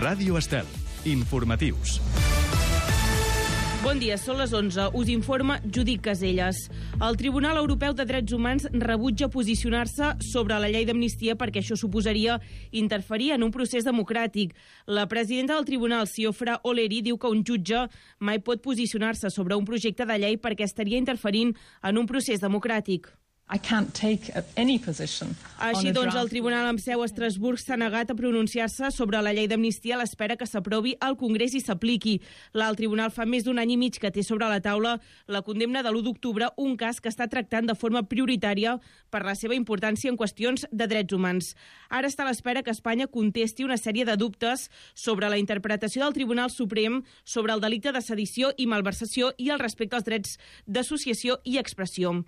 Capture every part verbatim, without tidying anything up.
Ràdio Estel. Informatius. Bon dia, són les onze. Us informa Judit Caselles. El Tribunal Europeu de Drets Humans rebutja posicionar-se sobre la llei d'amnistia perquè això suposaria interferir en un procés democràtic. La presidenta del tribunal, Siofra Oleri, diu que un jutge mai pot posicionar-se sobre un projecte de llei perquè estaria interferint en un procés democràtic. I can't take any position. Així doncs, el Tribunal amb seu a Estrasburg s'ha negat a pronunciar-se sobre la llei d'amnistia a l'espera que s'aprovi al Congrés i s'apliqui. L'alt tribunal fa més d'un any i mig que té sobre la taula la condemna de l'u d'octubre, un cas que està tractant de forma prioritària per la seva importància en qüestions de drets humans. Ara està a l'espera que Espanya contesti una sèrie de dubtes sobre la interpretació del Tribunal Suprem sobre el delicte de sedició i malversació i el respecte als drets d'associació i expressió.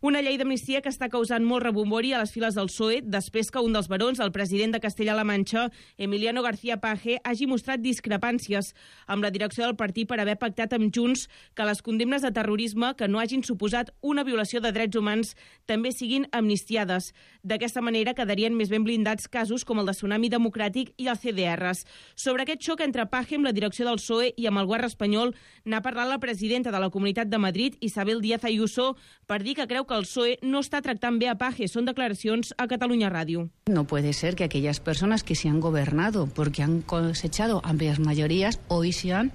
Una llei d'amnistia que està causant molt rebombori a les files del P S O E després que un dels barons, el president de Castella-La Manxa, Emiliano García Paje, hagi mostrat discrepàncies amb la direcció del partit per haver pactat amb Junts que les condemnes de terrorisme que no hagin suposat una violació de drets humans també siguin amnistiades. D'aquesta manera quedarien més ben blindats casos com el de Tsunami Democràtic i el C D Rs. Sobre aquest xoc entre Paje amb la direcció del P S O E i amb el govern espanyol n'ha parlat la presidenta de la Comunitat de Madrid, Isabel Díaz Ayuso, per dir que creu que el P S O E no está tractant bé a Paje. Son declaracions a Catalunya Ràdio. No puede ser que aquellas personas que se han gobernado porque han cosechado amplias mayorías hoy sean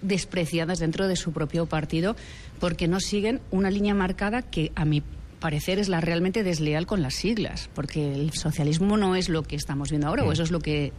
despreciadas dentro de su propio partido porque no siguen una línea marcada que a mi parecer es la realmente desleal con las siglas, porque el socialismo no es lo que estamos viendo ahora, o eso es lo que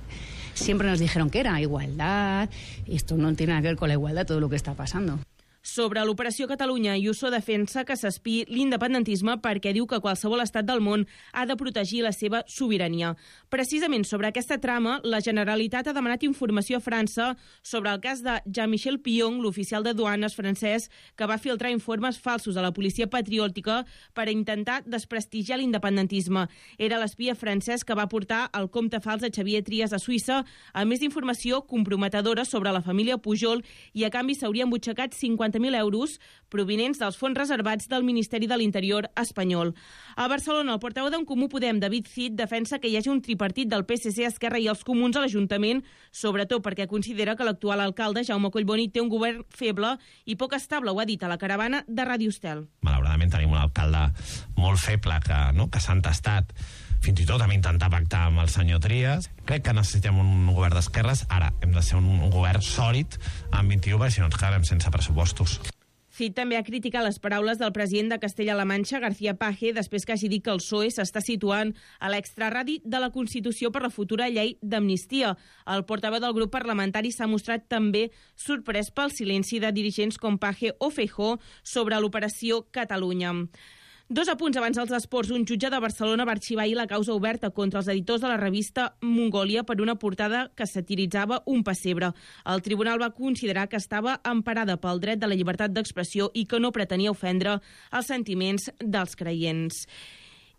siempre nos dijeron que era igualdad, y esto no tiene nada que ver con la igualdad, todo lo que está pasando. Sobre l'Operació Catalunya, Ayuso defensa que s'espiï l'independentisme perquè diu que qualsevol estat del món ha de protegir la seva sobirania. Precisament sobre aquesta trama, la Generalitat ha demanat informació a França sobre el cas de Jean-Michel Pillon, l'oficial de duanes francès, que va filtrar informes falsos a la policia patriòtica per intentar desprestigiar l'independentisme. Era l'espia francès que va portar el compte fals de Xavier Trias a Suïssa, a més d'informació comprometedora sobre la família Pujol, i a canvi s'haurien butxacat cinquanta mil euros provinents dels fons reservats del Ministeri de l'Interior espanyol. A Barcelona, el portaveu d'en Comú Podem, David Cid, defensa que hi hagi un tripartit del P S C, Esquerra i els Comuns a l'Ajuntament, sobretot perquè considera que l'actual alcalde, Jaume Collboni, té un govern feble i poc estable, ho ha dit a la caravana de Ràdio Estel. Malauradament tenim un alcalde molt feble que, no, que s'ha entestat fins i tot a intentar pactar amb el senyor Trias. Crec que necessitem un govern d'esquerres. Ara hem de ser un govern sòlid amb vint-i-u, perquè si no ens quedarem sense pressupostos. Cid també ha criticat les paraules del president de Castella-La Manxa, García Paje, després que hagi dit que el P S O E s'està situant a l'extraradi de la Constitució per la futura llei d'amnistia. El portaveu del grup parlamentari s'ha mostrat també sorprès pel silenci de dirigents com Paje o Feijóo sobre l'Operació Catalunya. Dos apunts abans dels esports. Un jutge de Barcelona va arxivar ahir la causa oberta contra els editors de la revista Mongòlia per una portada que satiritzava un pessebre. El tribunal va considerar que estava emparada pel dret de la llibertat d'expressió i que no pretenia ofendre els sentiments dels creients.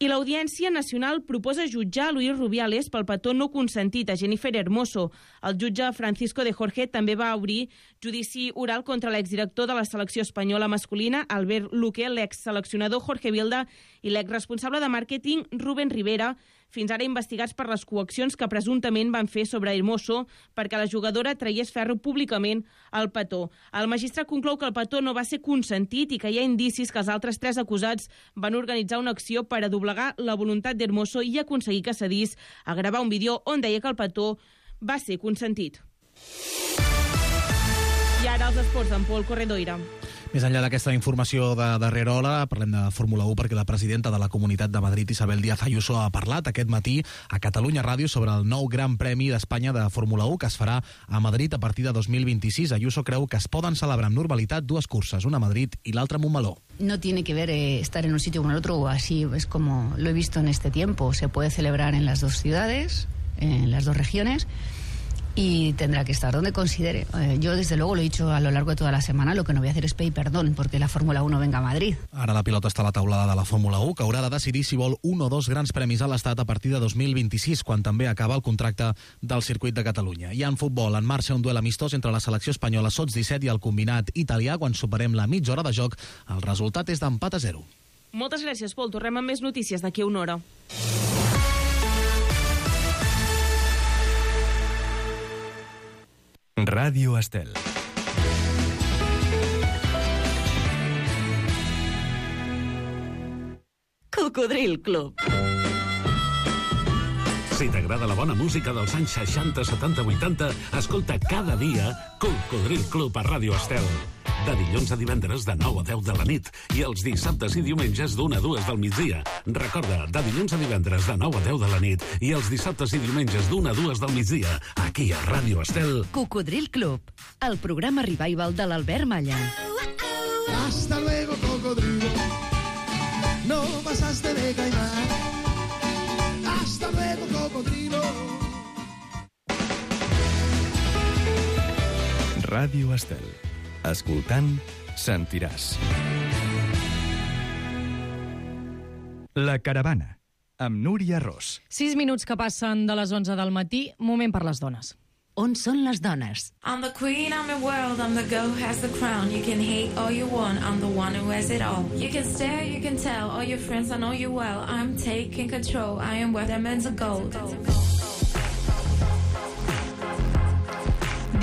I l'Audiència Nacional proposa jutjar Luis Rubiales pel petó no consentit a Jennifer Hermoso. El jutge Francisco de Jorge també va obrir judici oral contra l'exdirector de la selecció espanyola masculina, Albert Luque, l'exseleccionador Jorge Vilda i l'exresponsable de màrqueting Rubén Rivera, fins ara investigats per les coaccions que presumptament van fer sobre Hermoso perquè la jugadora traiés ferro públicament al petó. El magistrat conclou que el petó no va ser consentit i que hi ha indicis que els altres tres acusats van organitzar una acció per a doblegar la voluntat d'Hermoso i aconseguir que cedís a gravar un vídeo on deia que el petó va ser consentit. I ara els esports amb Pol Corredoira. Més enllà d'aquesta informació de darrera hora, parlem de Fórmula u perquè la presidenta de la Comunitat de Madrid, Isabel Díaz Ayuso, ha parlat aquest matí a Catalunya Ràdio sobre el nou Gran Premi d'Espanya de Fórmula u que es farà a Madrid a partir de dos mil vint-i-sis. Ayuso creu que es poden celebrar amb normalitat dues curses, una a Madrid i l'altra a Montmeló. No tiene que ver eh, estar en un sitio o en el otro, o así es como lo he visto en este tiempo. Se puede celebrar en las dos ciudades, en las dos regiones, y tendrá que estar donde considere. Eh, yo desde luego lo he dicho a lo largo de toda la semana, lo que no voy a hacer es pedir perdón porque la Fórmula u no venga a Madrid. Ara la pilota està a la taulada de la Fórmula u, que haurà de decidir si vol un o dos grans premis a l'Estat a partir de dos mil vint-i-sis, quan també acaba el contracte del circuit de Catalunya. I en futbol, en marxa un duel amistós entre la selecció espanyola sots disset i el combinat italià. Quan superem la mitja hora de joc, el resultat és d'empat a zero. Moltes gràcies, Pol. Tornem amb més notícies d'aquí a una hora. Ràdio Estel. Cocodril Club. Si t'agrada la bona música dels anys seixanta, setanta, vuitanta, escolta cada dia Cocodril Club a Ràdio Estel. De dilluns a divendres de nou a deu de la nit i els dissabtes i diumenges d'una a dues del migdia. Recorda, de dilluns a divendres de nou a deu de la nit i els dissabtes i diumenges d'una a dues del migdia, aquí a Ràdio Estel. Cocodril Club, el programa revival de l'Albert Malla. Hasta luego, cocodrilo. No pasaste de caimán. Hasta luego, cocodrilo. Ràdio Estel. Escoltant, sentiràs. La Caravana, amb Núria Ros. Sis minuts que passen de les onze del matí, moment per les dones. On són les dones? I'm the queen, I'm the world, I'm the girl who has the crown. You can hate all you want, I'm the one who has it all. You can stare, you can tell, all your friends, I know you well. I'm taking control, I am worth diamonds of gold.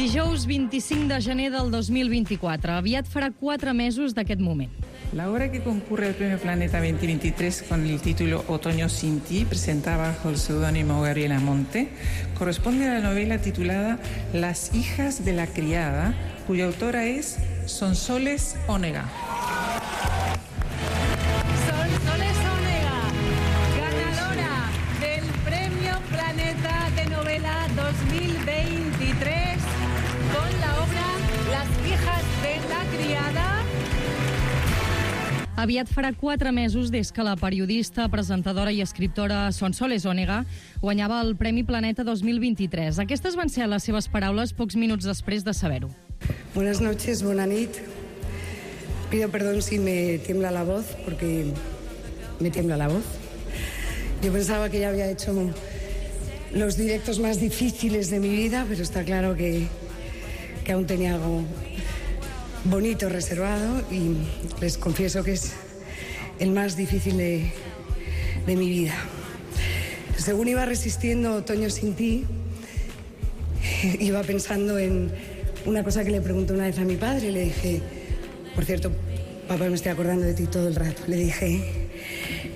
Dijous vint-i-cinc de gener del dos mil vint-i-quatre. Aviat farà quatre mesos d'aquest moment. La obra que concurre al Premio Planeta veinte veintitrés con el título Otoño sin ti, presentada bajo el seudónimo Gabriela Monte, corresponde a la novela titulada Las hijas de la criada, cuya autora es Sonsoles Onega. Sonsoles Onega, ganadora del Premio Planeta de Novela dos mil veintitrés con la obra Las hijas de la criada. Aviat farà quatre mesos des que la periodista, presentadora i escriptora Sonsoles Onega guanyava el Premi Planeta dos mil veintitrés. Aquestes van ser les seves paraules pocs minuts després de saber-ho. Buenas noches, buena nit. Pido perdón si me tiembla la voz, porque me tiembla la voz. Yo pensaba que ya había hecho los directos más difíciles de mi vida, pero está claro que, que aún tenía algo bonito reservado y les confieso que es el más difícil de, de mi vida. Según iba resistiendo Otoño sin ti, iba pensando en una cosa que le pregunté una vez a mi padre. Le dije, por cierto, papá, me estoy acordando de ti todo el rato. Le dije,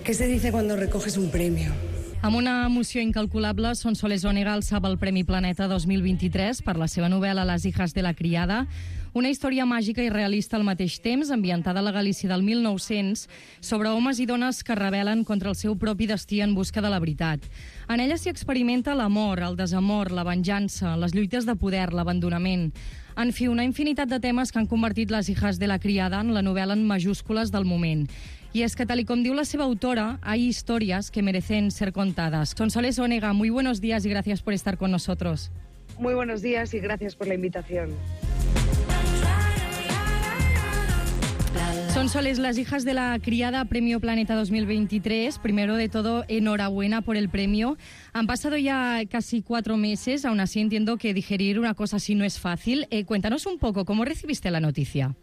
¿qué se dice cuando recoges un premio? Amb una emoció incalculable, Sonsoles Onega alçava el Premi Planeta dos mil vint-i-tres per la seva novel·la Las hijas de la criada, una història màgica i realista al mateix temps, ambientada a la Galícia del mil nou-cents, sobre homes i dones que es rebel·len contra el seu propi destí en busca de la veritat. En ella s'hi experimenta l'amor, el desamor, la venjança, les lluites de poder, l'abandonament. En fi, una infinitat de temes que han convertit Las hijas de la criada en la novel·la en majúscules del moment. Y es que, tal y como diu la seva autora, hay historias que merecen ser contadas. Sonsoles Onega, muy buenos días y gracias por estar con nosotros. Muy buenos días y gracias por la invitación. Sonsoles, Las hijas de la criada, Premio Planeta dos mil veintitrés. Primero de todo, enhorabuena por el premio. Han pasado ya casi cuatro meses, aún así entiendo que digerir una cosa así no es fácil. Eh, cuéntanos un poco, ¿cómo recibiste la noticia?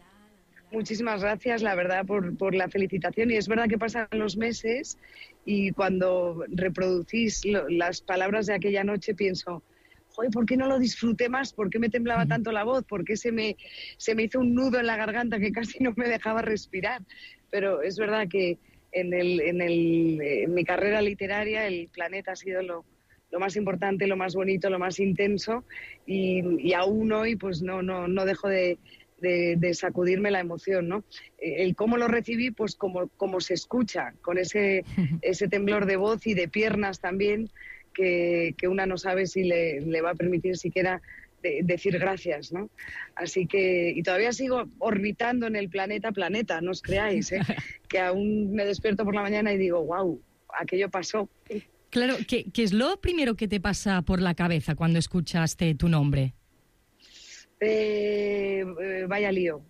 Muchísimas gracias, la verdad, por, por la felicitación. Y es verdad que pasan los meses y cuando reproducís lo, las palabras de aquella noche pienso, joder, ¿por qué no lo disfruté más? ¿Por qué me temblaba tanto la voz? ¿Por qué se me, se me hizo un nudo en la garganta que casi no me dejaba respirar? Pero es verdad que en, el, en, el, en mi carrera literaria el Planeta ha sido lo, lo más importante, lo más bonito, lo más intenso y, y aún hoy pues no, no, no dejo de... De, de sacudirme la emoción, ¿no? El cómo lo recibí, pues como, como se escucha, con ese, ese temblor de voz y de piernas también, que, que una no sabe si le, le va a permitir siquiera de, decir gracias, ¿no? Así que, y todavía sigo orbitando en el planeta planeta, no os creáis, ¿eh? Que aún me despierto por la mañana y digo, wow, aquello pasó. Claro, ¿qué, qué es lo primero que te pasa por la cabeza cuando escuchaste tu nombre? Eh, eh, vaya lío.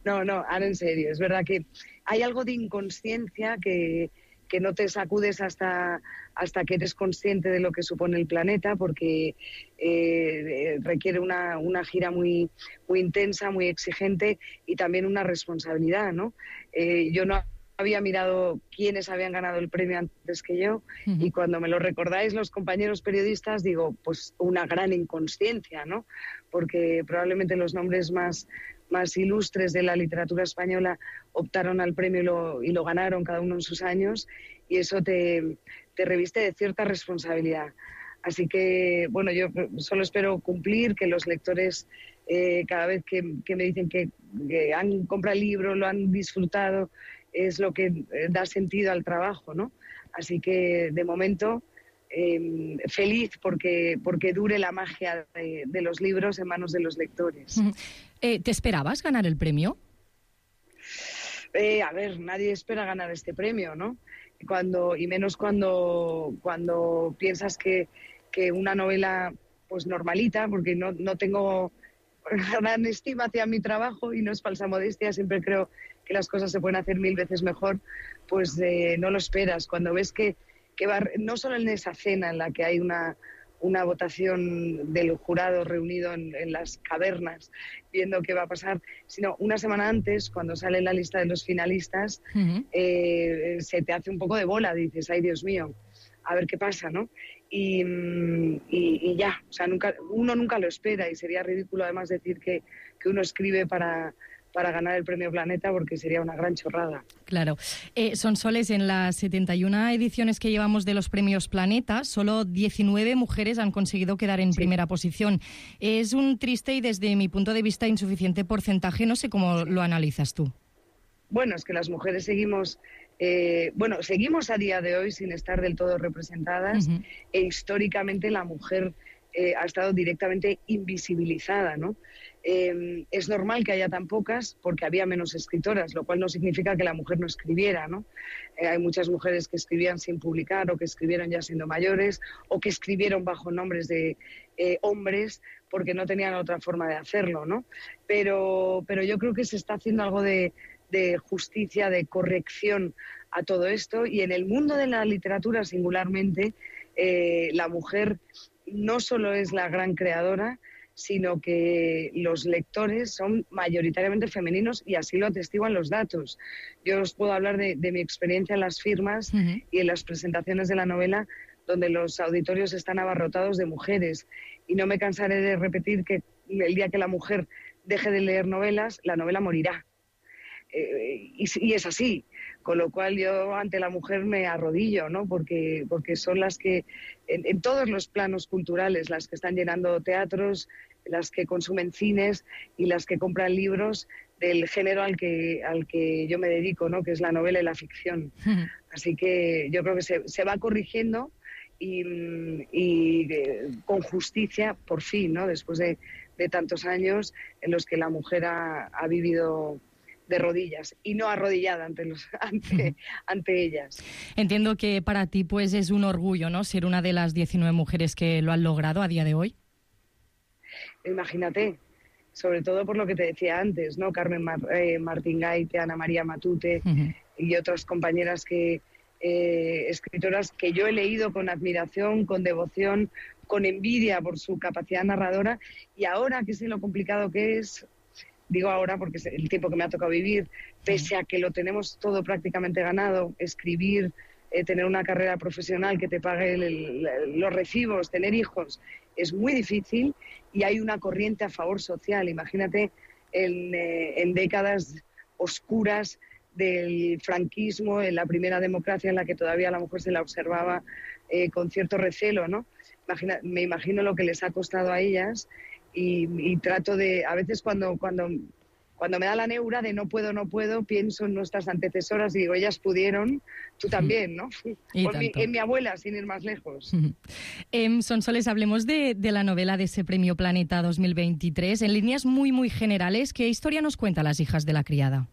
no, no, ahora en serio. Es verdad que hay algo de inconsciencia que, que no te sacudes hasta, hasta que eres consciente de lo que supone el planeta, porque eh, requiere una, una gira muy, muy intensa, muy exigente y también una responsabilidad, ¿no? Eh, yo no había mirado quiénes habían ganado el premio antes que yo, uh-huh. y cuando me lo recordáis los compañeros periodistas, digo, pues una gran inconsciencia, ¿no? Porque probablemente los nombres más, más ilustres de la literatura española optaron al premio y lo, y lo ganaron cada uno en sus años, y eso te, te reviste de cierta responsabilidad. Así que, bueno, yo solo espero cumplir, que los lectores, eh, cada vez que, que me dicen que, que han comprado el libro, lo han disfrutado, es lo que da sentido al trabajo, ¿no? Así que, de momento, eh, feliz porque, porque dure la magia de, de los libros en manos de los lectores. Eh, ¿Te esperabas ganar el premio? Eh, a ver, nadie espera ganar este premio, ¿no? Cuando, y menos cuando, cuando piensas que, que una novela pues normalita, porque no, no tengo gran estima hacia mi trabajo y no es falsa modestia, siempre creo que las cosas se pueden hacer mil veces mejor, pues eh, no lo esperas. Cuando ves que, que va, no solo en esa cena en la que hay una, una votación del jurado reunido en, en las cavernas viendo qué va a pasar, sino una semana antes, cuando sale la lista de los finalistas, uh-huh. eh, se te hace un poco de bola, dices, ay Dios mío, a ver qué pasa, ¿no? Y, y, y ya, o sea, nunca, uno nunca lo espera, y sería ridículo además decir que, que uno escribe para... para ganar el Premio Planeta, porque sería una gran chorrada. Claro. Eh, Sonsoles, en las setenta y una ediciones que llevamos de los Premios Planeta, solo diecinueve mujeres han conseguido quedar en sí. primera posición. Es un triste y, desde mi punto de vista, insuficiente porcentaje. No sé cómo lo analizas tú. Bueno, es que las mujeres seguimos... Eh, bueno, seguimos a día de hoy sin estar del todo representadas, uh-huh. e históricamente la mujer eh, ha estado directamente invisibilizada, ¿no? Eh, es normal que haya tan pocas porque había menos escritoras, lo cual no significa que la mujer no escribiera, ¿no? Eh, hay muchas mujeres que escribían sin publicar, o que escribieron ya siendo mayores, o que escribieron bajo nombres de eh, hombres porque no tenían otra forma de hacerlo, ¿no? Pero, pero yo creo que se está haciendo algo de, de justicia, de corrección a todo esto, y en el mundo de la literatura singularmente, eh, la mujer no solo es la gran creadora, sino que los lectores son mayoritariamente femeninos, y así lo atestiguan los datos. Yo os puedo hablar de, de mi experiencia en las firmas uh-huh. y en las presentaciones de la novela, donde los auditorios están abarrotados de mujeres. Y no me cansaré de repetir que el día que la mujer deje de leer novelas, la novela morirá. Eh, y, y es así, con lo cual yo ante la mujer me arrodillo, ¿no? Porque, porque son las que, en, en todos los planos culturales, las que están llenando teatros, las que consumen cines y las que compran libros del género al que, al que yo me dedico, ¿no? Que es la novela y la ficción. Uh-huh. Así que yo creo que se, se va corrigiendo y, y eh, con justicia, por fin, ¿no? Después de, de tantos años en los que la mujer ha, ha vivido de rodillas y no arrodillada ante los ante, ante ellas. Entiendo que para ti pues es un orgullo, ¿no?, ser una de las diecinueve mujeres que lo han logrado a día de hoy. Imagínate, sobre todo por lo que te decía antes, ¿no? Carmen Mar, eh, Martín Gaite, Ana María Matute uh-huh. y otras compañeras que eh, escritoras que yo he leído con admiración, con devoción, con envidia por su capacidad narradora, y ahora que sé lo complicado que es. Digo ahora porque es el tiempo que me ha tocado vivir, pese a que lo tenemos todo prácticamente ganado, escribir, eh, tener una carrera profesional que te pague el, el, los recibos, tener hijos, es muy difícil, y hay una corriente a favor social. Imagínate en, eh, en décadas oscuras del franquismo, en la primera democracia en la que todavía a la mujer se la observaba eh, con cierto recelo, ¿no? Imagina, me imagino lo que les ha costado a ellas. Y, y trato de, a veces cuando, cuando, cuando me da la neura de no puedo, no puedo, pienso en nuestras antecesoras y digo, ellas pudieron, tú también, ¿no? Por mi, en mi abuela, sin ir más lejos. eh, Sonsoles, hablemos de, de la novela de ese Premio Planeta dos mil veintitrés. En líneas muy, muy generales, ¿qué historia nos cuenta Las hijas de la criada?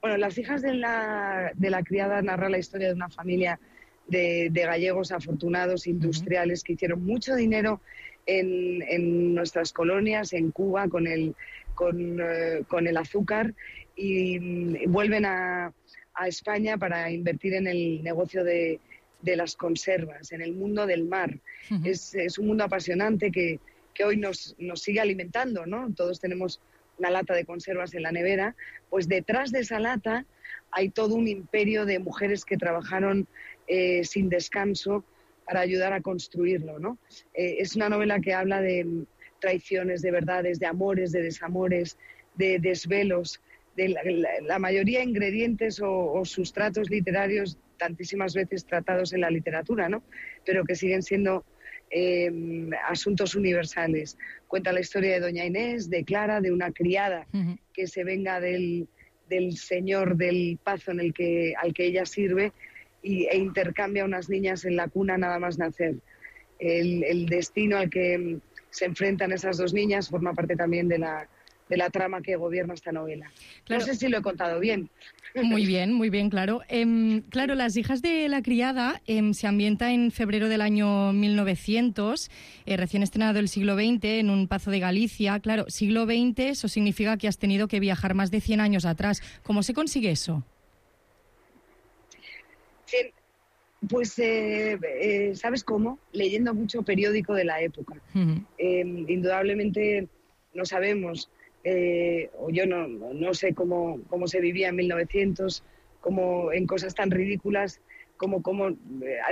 Bueno, Las hijas de la, de la criada narra la historia de una familia de, de gallegos afortunados, industriales, uh-huh. que hicieron mucho dinero En, en nuestras colonias, en Cuba, con el, con, uh, con el azúcar, y, y vuelven a, a España para invertir en el negocio de, de las conservas, en el mundo del mar. Uh-huh. Es, es un mundo apasionante que, que hoy nos, nos sigue alimentando, ¿no? Todos tenemos una lata de conservas en la nevera, pues detrás de esa lata hay todo un imperio de mujeres que trabajaron eh, sin descanso para ayudar a construirlo, ¿no? Eh, es una novela que habla de traiciones, de verdades, de amores, de desamores, de desvelos, de la, la, la mayoría de ingredientes o, o sustratos literarios tantísimas veces tratados en la literatura, ¿no? Pero que siguen siendo eh, asuntos universales. Cuenta la historia de doña Inés, de Clara, de una criada uh-huh. que se venga del, del señor del pazo en el que, al que ella sirve y, e intercambia unas niñas en la cuna nada más nacer. El, el destino al que se enfrentan esas dos niñas forma parte también de la, de la trama que gobierna esta novela. Claro. No sé si lo he contado bien. Muy bien, muy bien, claro. Eh, claro, Las hijas de la criada eh, se ambienta en febrero del año mil novecientos, eh, recién estrenado el siglo veinte, en un pazo de Galicia. Claro, siglo veinte, eso significa que has tenido que viajar más de cien años atrás. ¿Cómo se consigue eso? Sí, pues, eh, eh, ¿sabes cómo? Leyendo mucho periódico de la época. Uh-huh. Eh, indudablemente no sabemos... Eh, o yo no, no sé cómo, cómo se vivía en mil novecientos, cómo en cosas tan ridículas como cómo eh,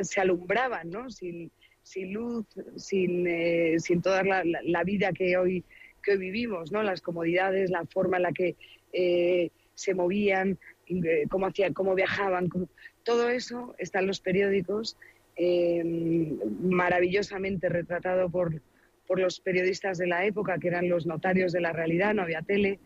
se alumbraban, ¿no? Sin, sin luz, sin, eh, sin toda la, la, la vida que hoy, que hoy vivimos, ¿no? Las comodidades, la forma en la que eh, se movían, eh, cómo, hacían, cómo viajaban, cómo... todo eso está en los periódicos, eh, maravillosamente retratado por... por los periodistas de la época, que eran los notarios de la realidad, no había tele,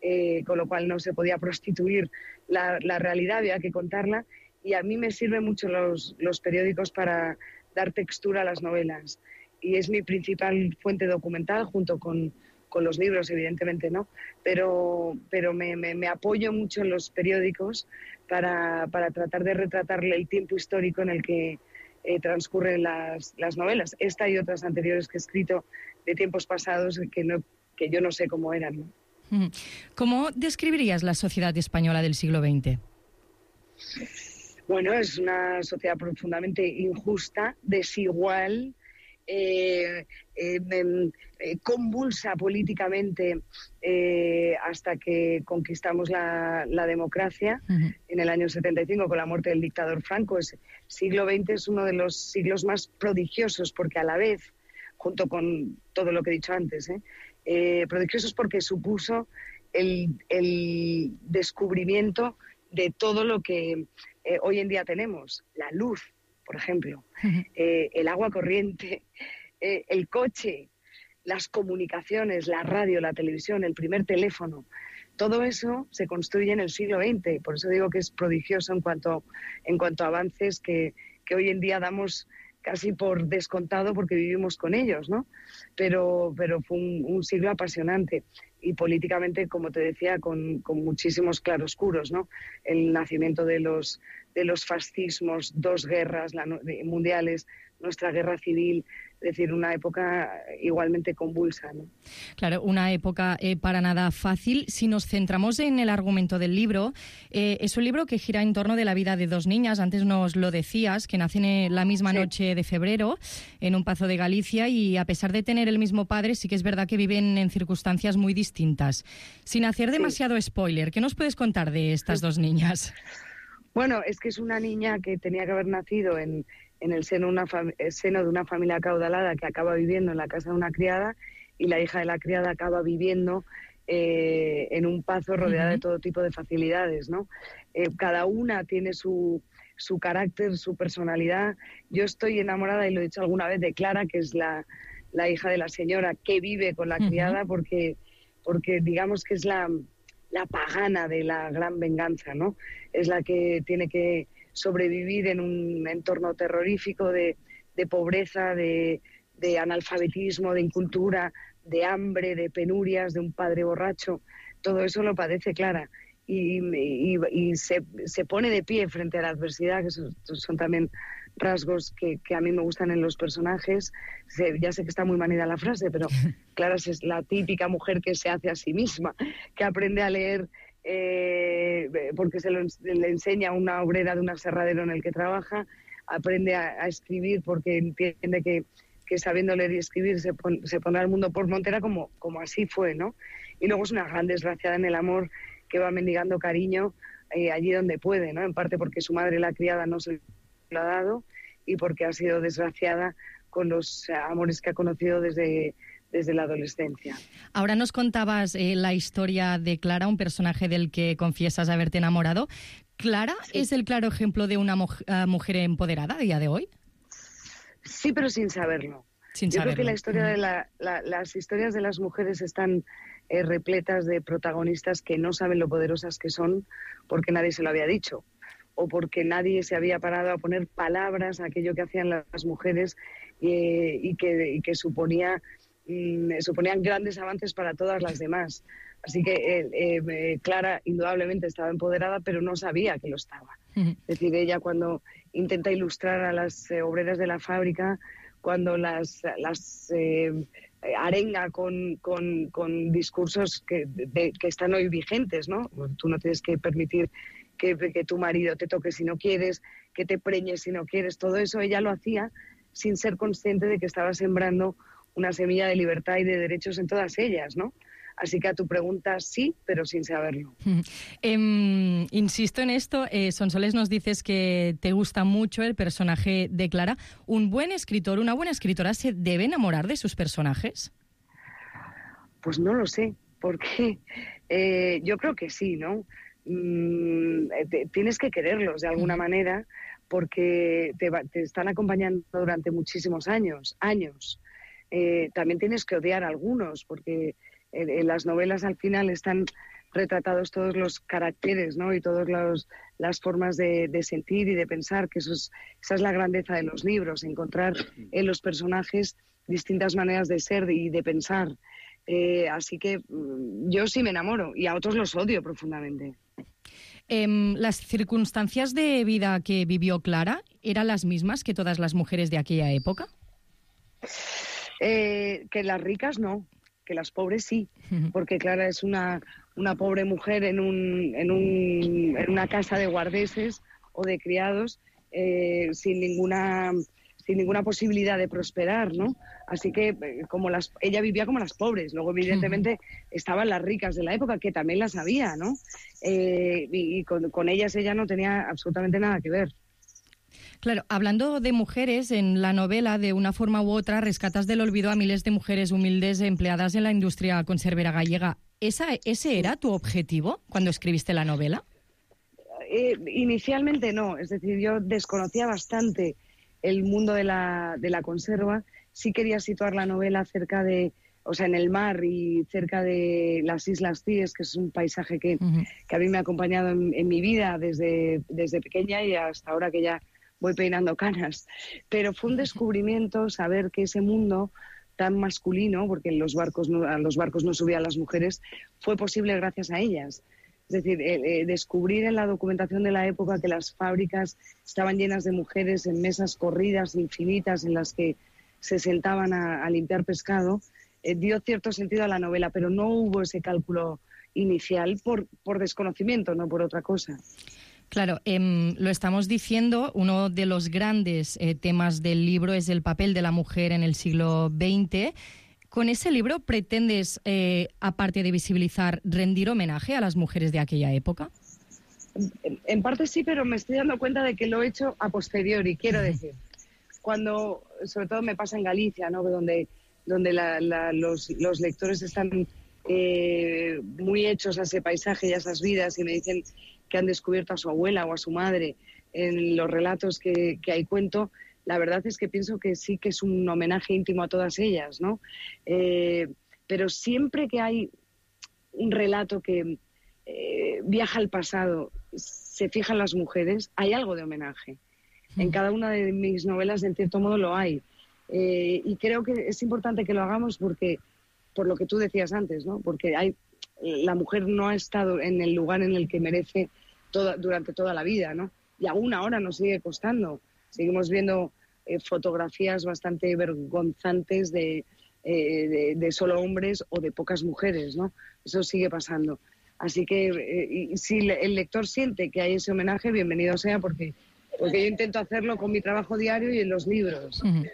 eh, con lo cual no se podía prostituir la, la realidad, había que contarla, y a mí me sirven mucho los, los periódicos para dar textura a las novelas, y es mi principal fuente documental, junto con, con los libros, evidentemente, ¿no? Pero, pero me, me, me apoyo mucho en los periódicos para, para tratar de retratarle el tiempo histórico en el que Eh, transcurren las, las novelas. Esta y otras anteriores que he escrito de tiempos pasados que, no, que yo no sé cómo eran, ¿no? ¿Cómo describirías la sociedad española del siglo veinte? Bueno, es una sociedad profundamente injusta, desigual, eh, eh, eh, convulsa políticamente eh, hasta que conquistamos la, la democracia uh-huh. en el año setenta y cinco con la muerte del dictador Franco. El siglo veinte es uno de los siglos más prodigiosos porque a la vez, junto con todo lo que he dicho antes, ¿eh? Eh, prodigiosos porque supuso el, el descubrimiento de todo lo que eh, hoy en día tenemos, la luz, por ejemplo, eh, el agua corriente, eh, el coche, las comunicaciones, la radio, la televisión, el primer teléfono. Todo eso se construye en el siglo veinte. Por eso digo que es prodigioso en cuanto, en cuanto a avances que, que hoy en día damos casi por descontado porque vivimos con ellos, ¿no? Pero, pero fue un, un siglo apasionante y políticamente, como te decía, con, con muchísimos claroscuros, ¿no? El nacimiento de los, de los fascismos, dos guerras la, mundiales, nuestra guerra civil, es decir, una época igualmente convulsa, ¿no? Claro, una época eh, para nada fácil. Si nos centramos en el argumento del libro, eh, es un libro que gira en torno de la vida de dos niñas, antes nos lo decías, que nacen en la misma sí. noche de febrero en un pazo de Galicia y a pesar de tener el mismo padre, sí que es verdad que viven en circunstancias muy distintas. Sin hacer demasiado sí. spoiler, ¿qué nos puedes contar de estas sí. dos niñas? Bueno, es que es una niña que tenía que haber nacido en... en el seno, una fam- el seno de una familia acaudalada que acaba viviendo en la casa de una criada y la hija de la criada acaba viviendo eh, en un pazo rodeada uh-huh. de todo tipo de facilidades, ¿no? Eh, cada una tiene su, su carácter, su personalidad. Yo estoy enamorada, y lo he dicho alguna vez, de Clara, que es la, la hija de la señora que vive con la uh-huh. criada porque, porque digamos que es la, la pagana de la gran venganza, ¿no? Es la que tiene que sobrevivir en un entorno terrorífico de, de pobreza, de, de analfabetismo, de incultura, de hambre, de penurias, de un padre borracho. Todo eso lo padece Clara y, y, y se, se pone de pie frente a la adversidad, que son, son también rasgos que, que a mí me gustan en los personajes. Se, ya sé que está muy manida la frase, pero Clara es la típica mujer que se hace a sí misma, que aprende a leer Eh, porque se lo, le enseña una obrera de un aserradero en el que trabaja, aprende a, a escribir porque entiende que, que sabiendo leer y escribir se, pon, se pondrá el mundo por montera, como, como así fue, ¿no? Y luego es una gran desgraciada en el amor que va mendigando cariño eh, allí donde puede, ¿no? En parte porque su madre, la criada, no se lo ha dado y porque ha sido desgraciada con los amores que ha conocido desde, desde la adolescencia. Ahora nos contabas eh, la historia de Clara, un personaje del que confiesas haberte enamorado. ¿Clara sí. es el claro ejemplo de una mu- uh, mujer empoderada a día de hoy? Sí, pero sin saberlo. Sin Yo saberlo. creo que la historia de la, la, las historias de las mujeres están eh, repletas de protagonistas que no saben lo poderosas que son porque nadie se lo había dicho, o porque nadie se había parado a poner palabras a aquello que hacían las mujeres eh, y, que, y que suponía, mm, suponían grandes avances para todas las demás. Así que eh, eh, Clara indudablemente estaba empoderada, pero no sabía que lo estaba. Uh-huh. Es decir, ella cuando intenta ilustrar a las eh, obreras de la fábrica, cuando las, las eh, arenga con, con, con discursos que, de, que están hoy vigentes, ¿no? Tú no tienes que permitir que, que tu marido te toque si no quieres, que te preñes si no quieres. Todo eso ella lo hacía sin ser consciente de que estaba sembrando una semilla de libertad y de derechos en todas ellas, ¿no? Así que a tu pregunta sí, pero sin saberlo. Eh, insisto en esto, eh, Sonsoles, nos dices que te gusta mucho el personaje de Clara. ¿Un buen escritor, una buena escritora se debe enamorar de sus personajes? Pues no lo sé, porque eh, yo creo que sí, ¿no? Mm, te, tienes que quererlos de alguna manera porque te, va, te están acompañando durante muchísimos años, años. Eh, también tienes que odiar a algunos porque en, en las novelas al final están retratados todos los caracteres, ¿no? Y todas las formas de, de sentir y de pensar, que eso es, esa es la grandeza de los libros, encontrar en los personajes distintas maneras de ser y de pensar. Eh, así que mm, yo sí me enamoro y a otros los odio profundamente. Eh, ¿Las circunstancias de vida que vivió Clara eran las mismas que todas las mujeres de aquella época? Eh, que las ricas no, que las pobres sí, porque Clara es una, una pobre mujer en, un, en, un, en una casa de guardeses o de criados eh, sin ninguna... sin ninguna posibilidad de prosperar, ¿no? Así que como las, ella vivía como las pobres. Luego, evidentemente, estaban las ricas de la época, que también las había, ¿no? Eh, y y con, con ellas ella no tenía absolutamente nada que ver. Claro, hablando de mujeres, en la novela, de una forma u otra, rescatas del olvido a miles de mujeres humildes empleadas en la industria conservera gallega. ¿Esa, ¿Ese era tu objetivo cuando escribiste la novela? Eh, inicialmente no, es decir, yo desconocía bastante el mundo de la, de la conserva. Sí quería situar la novela cerca de, o sea, en el mar y cerca de las Islas Cíes, que es un paisaje que, uh-huh. que a mí me ha acompañado en, en mi vida desde, desde pequeña y hasta ahora que ya voy peinando canas. Pero fue un descubrimiento saber que ese mundo tan masculino, porque en los barcos no, a los barcos no subían las mujeres, fue posible gracias a ellas. Es decir, eh, eh, descubrir en la documentación de la época que las fábricas estaban llenas de mujeres en mesas corridas infinitas en las que se sentaban a, a limpiar pescado, eh, dio cierto sentido a la novela, pero no hubo ese cálculo inicial por, por desconocimiento, no por otra cosa. Claro, eh, lo estamos diciendo, uno de los grandes eh, temas del libro es el papel de la mujer en el siglo veinte. ¿Con ese libro pretendes, eh, aparte de visibilizar, rendir homenaje a las mujeres de aquella época? En, en parte sí, pero me estoy dando cuenta de que lo he hecho a posteriori, quiero decir. Cuando, sobre todo me pasa en Galicia, ¿no? Donde, donde la, la, los, los lectores están eh, muy hechos a ese paisaje y a esas vidas y me dicen que han descubierto a su abuela o a su madre en los relatos que, que ahí cuento. La verdad es que pienso que sí que es un homenaje íntimo a todas ellas, ¿no? Eh, pero siempre que hay un relato que eh, viaja al pasado, se fijan las mujeres, hay algo de homenaje. Mm. En cada una de mis novelas, en cierto modo, lo hay. Eh, y creo que es importante que lo hagamos porque, por lo que tú decías antes, ¿no? Porque hay, la mujer no ha estado en el lugar en el que merece toda, durante toda la vida, ¿no? Y aún ahora nos sigue costando. Seguimos viendo eh, fotografías bastante vergonzantes de, eh, de, de solo hombres o de pocas mujeres, ¿no? Eso sigue pasando. Así que eh, y si el lector siente que hay ese homenaje, bienvenido sea, porque, porque yo intento hacerlo con mi trabajo diario y en los libros. Uh-huh.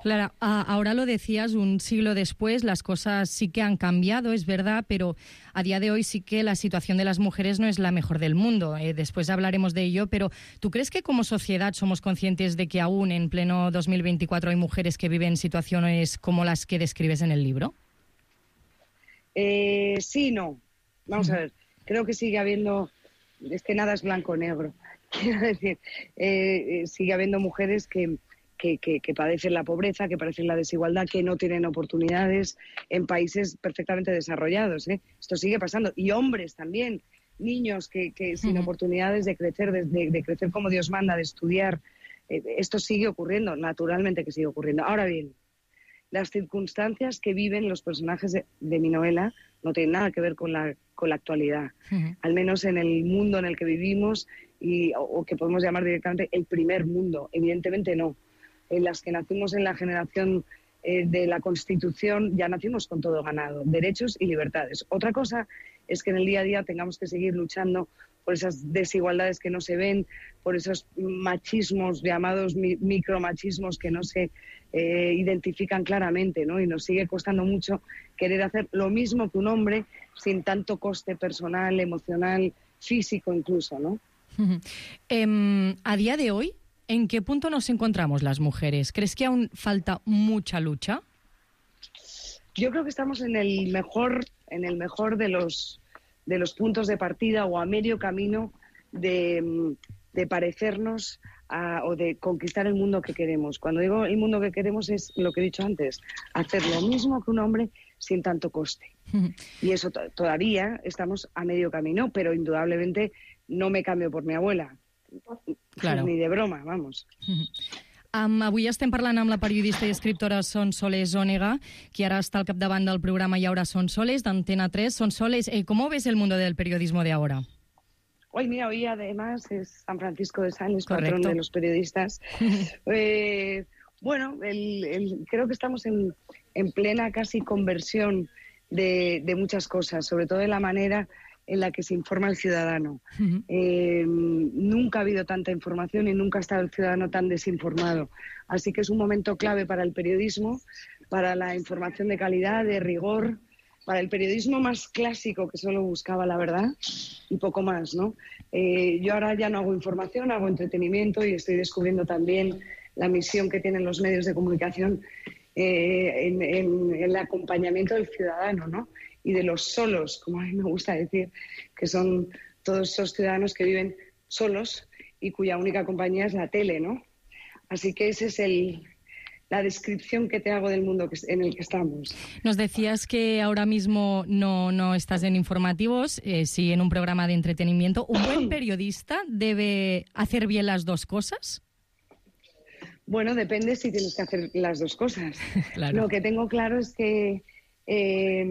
Clara, ahora lo decías, un siglo después las cosas sí que han cambiado, es verdad, pero a día de hoy sí que la situación de las mujeres no es la mejor del mundo. Eh, después hablaremos de ello, pero ¿tú crees que como sociedad somos conscientes de que aún en pleno dos mil veinticuatro hay mujeres que viven situaciones como las que describes en el libro? Eh, sí, no. Vamos uh-huh. a ver, creo que sigue habiendo, es que nada es blanco o negro. Quiero decir, eh, eh, sigue habiendo mujeres que... Que, que, que padecen la pobreza, que padecen la desigualdad, que no tienen oportunidades en países perfectamente desarrollados, ¿eh? Esto sigue pasando. Y hombres también, niños que, que sin uh-huh. oportunidades de crecer, de, de, de crecer como Dios manda, de estudiar. Eh, esto sigue ocurriendo, naturalmente que sigue ocurriendo. Ahora bien, las circunstancias que viven los personajes de, de mi novela no tienen nada que ver con la, con la actualidad. Uh-huh. Al menos en el mundo en el que vivimos, y, o, o que podemos llamar directamente el primer mundo. Evidentemente no. En las que nacimos en la generación eh, de la Constitución, ya nacimos con todo ganado, derechos y libertades. Otra cosa es que en el día a día tengamos que seguir luchando por esas desigualdades que no se ven, por esos machismos, llamados mi- micromachismos que no se eh, identifican claramente, ¿no? Y nos sigue costando mucho querer hacer lo mismo que un hombre sin tanto coste personal, emocional, físico incluso, ¿no? Uh-huh. Eh, a día de hoy, ¿en qué punto nos encontramos las mujeres? ¿Crees que aún falta mucha lucha? Yo creo que estamos en el mejor, en el mejor de los de los puntos de partida o a medio camino de, de parecernos a, o de conquistar el mundo que queremos. Cuando digo el mundo que queremos es lo que he dicho antes, hacer lo mismo que un hombre sin tanto coste. Y eso t- todavía estamos a medio camino, pero indudablemente no me cambio por mi abuela. Claro. Ni de broma, vamos. Um, avui estem parlant amb la periodista i escriptora Sonsoles Onega, que ara està al capdavant del programa Y ahora Sonsoles, d'Antena tres. Sonsoles, eh, ¿cómo ves el mundo del periodismo de ahora? Hoy, mira, hoy además es San Francisco de Sales, Correcto. patrón de los periodistas. eh, bueno, el, el, creo que estamos en, en plena casi conversión de, de muchas cosas, sobre todo de la manera en la que se informa el ciudadano. Uh-huh. Eh, nunca ha habido tanta información y nunca ha estado el ciudadano tan desinformado. Así que es un momento clave para el periodismo, para la información de calidad, de rigor, para el periodismo más clásico que solo buscaba la verdad y poco más, ¿no? Eh, yo ahora ya no hago información, hago entretenimiento y estoy descubriendo también la misión que tienen los medios de comunicación eh, en, en, en el acompañamiento del ciudadano, ¿no? Y de los solos, como a mí me gusta decir, que son todos esos ciudadanos que viven solos y cuya única compañía es la tele, ¿no? Así que esa es el, la descripción que te hago del mundo que, en el que estamos. Nos decías que ahora mismo no, no estás en informativos, eh, sí en un programa de entretenimiento. ¿Un buen periodista debe hacer bien las dos cosas? Bueno, depende si tienes que hacer las dos cosas. Claro. Lo que tengo claro es que eh,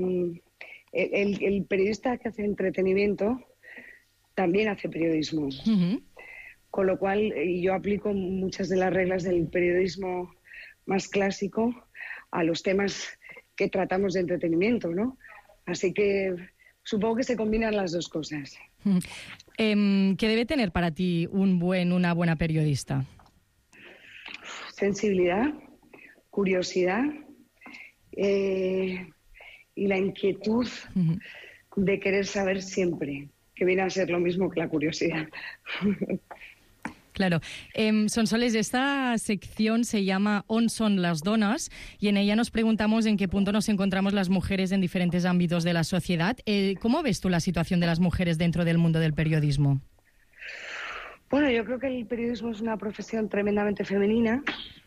el, el periodista que hace entretenimiento también hace periodismo. Uh-huh. Con lo cual yo aplico muchas de las reglas del periodismo más clásico a los temas que tratamos de entretenimiento, ¿no? Así que supongo que se combinan las dos cosas. Uh-huh. Eh, ¿Qué debe tener para ti un buen, una buena periodista? Sensibilidad, curiosidad eh, y la inquietud uh-huh. de querer saber siempre, que viene a ser lo mismo que la curiosidad. Claro. Eh, Sonsoles, esta sección se llama On son las donas y en ella nos preguntamos en qué punto nos encontramos las mujeres en diferentes ámbitos de la sociedad. Eh, ¿Cómo ves tú la situación de las mujeres dentro del mundo del periodismo? Bueno, yo creo que el periodismo es una profesión tremendamente femenina.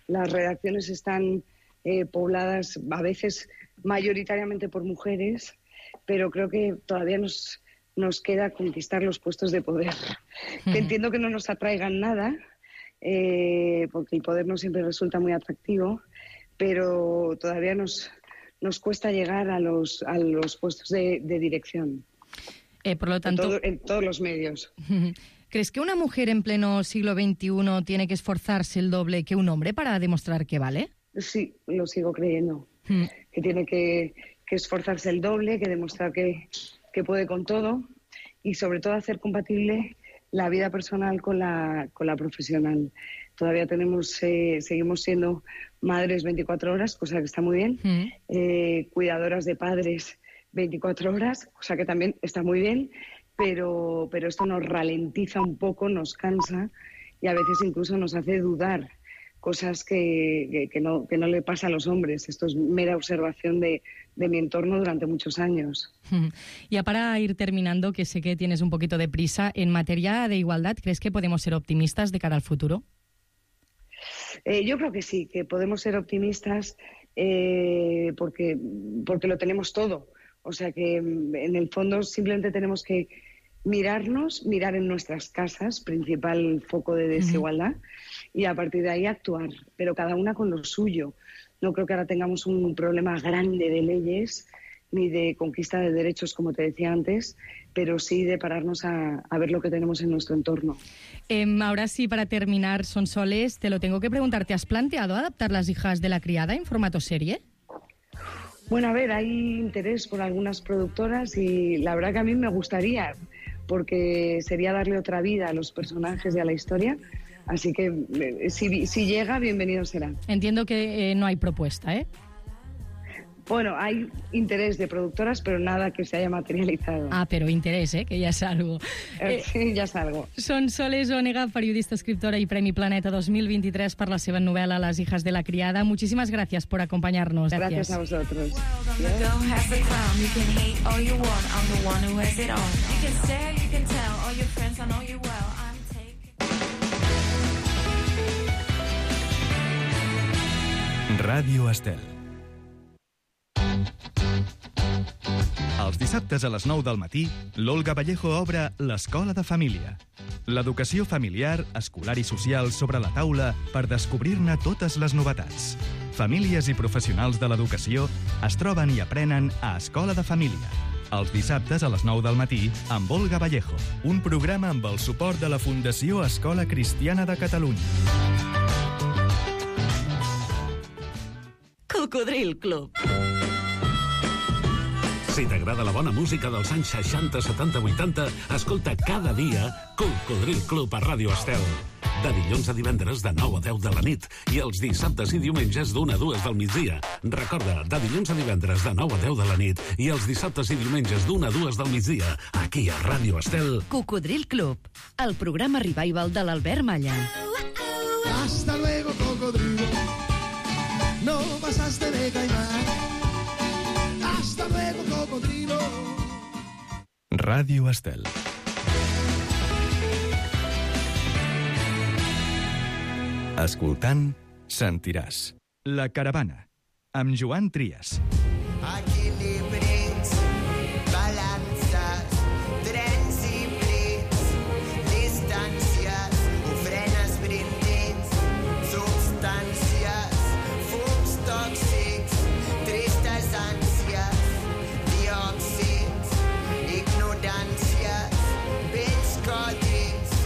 Las redacciones están eh, pobladas a veces mayoritariamente por mujeres, pero creo que todavía nos, nos queda conquistar los puestos de poder. Uh-huh. Que entiendo que no nos atraigan nada, eh, porque el poder no siempre resulta muy atractivo, pero todavía nos, nos cuesta llegar a los, a los puestos de, de dirección. Eh, por lo tanto, en, todo, en todos los medios. Uh-huh. ¿Crees que una mujer en pleno siglo veintiuno tiene que esforzarse el doble que un hombre para demostrar que vale? Sí, lo sigo creyendo. Mm. Que tiene que, que esforzarse el doble, que demostrar que, que puede con todo y sobre todo hacer compatible la vida personal con la, con la profesional. todavía tenemos, eh, seguimos siendo madres veinticuatro horas, cosa que está muy bien, mm. eh, cuidadoras de padres veinticuatro horas, cosa que también está muy bien, pero, pero esto nos ralentiza un poco, nos cansa y a veces incluso nos hace dudar cosas que, que, que, no, que no le pasa a los hombres. Esto es mera observación de, de mi entorno durante muchos años. Ya para ir terminando, que sé que tienes un poquito de prisa, en materia de igualdad, ¿crees que podemos ser optimistas de cara al futuro? Eh, yo creo que sí, que podemos ser optimistas eh, porque, porque lo tenemos todo. O sea que en el fondo simplemente tenemos que mirarnos, mirar en nuestras casas, principal foco de desigualdad, uh-huh. y a partir de ahí actuar, pero cada una con lo suyo. No creo que ahora tengamos un problema grande de leyes ni de conquista de derechos, como te decía antes, pero sí de pararnos a, a ver lo que tenemos en nuestro entorno. Eh, ahora sí, para terminar, Sonsoles, te lo tengo que preguntar. ¿Te has planteado adaptar Las hijas de la criada en formato serie? Bueno, a ver, hay interés por algunas productoras y la verdad que a mí me gustaría, porque sería darle otra vida a los personajes y a la historia. Así que eh, si, si llega, bienvenido será. Entiendo que eh, no hay propuesta, ¿eh? Bueno, hay interés de productoras, pero nada que se haya materializado. Ah, però interès, eh? Que ja és algo. Eh, sí, ja és algo. Sonsoles Onega, periodista, escriptora y Premi Planeta dos mil veintitrés per la seva novel·la Las hijas de la criada. Muchísimas gracias por acompañarnos. Gracias, gracias a vosotros. Ràdio Estel. Els dissabtes a les nou del matí, l'Olga Vallejo obre l'Escola de Família. L'educació familiar, escolar i social sobre la taula per descobrir-ne totes les novetats. Famílies i professionals de l'educació es troben i aprenen a Escola de Família. Els dissabtes a les nou del matí amb Olga Vallejo. Un programa amb el suport de la Fundació Escola Cristiana de Catalunya. Cocodril Club. Si t'agrada la bona música dels anys seixanta, setanta, vuitanta, escolta cada dia Cocodril Club a Ràdio Estel. De dilluns a divendres de nou a deu de la nit i els dissabtes i diumenges d'una a dues del migdia. Recorda, de dilluns a divendres de nou a deu de la nit i els dissabtes i diumenges d'una a dues del migdia, aquí a Ràdio Estel. Cocodril Club, el programa revival de l'Albert Malla. Hasta luego, cocodrilo. No pasaste de caimán. Hasta luego, cocodrilo. Ràdio Estel. Escoltant, sentiràs. La Caravana, amb Joan Trias. Equilibris, balances, trens i plits, distàncies, ofrenes, brindis, substàncies, fums tòxics, tristes ànsies, diòxids, ignoràncies, vells codis,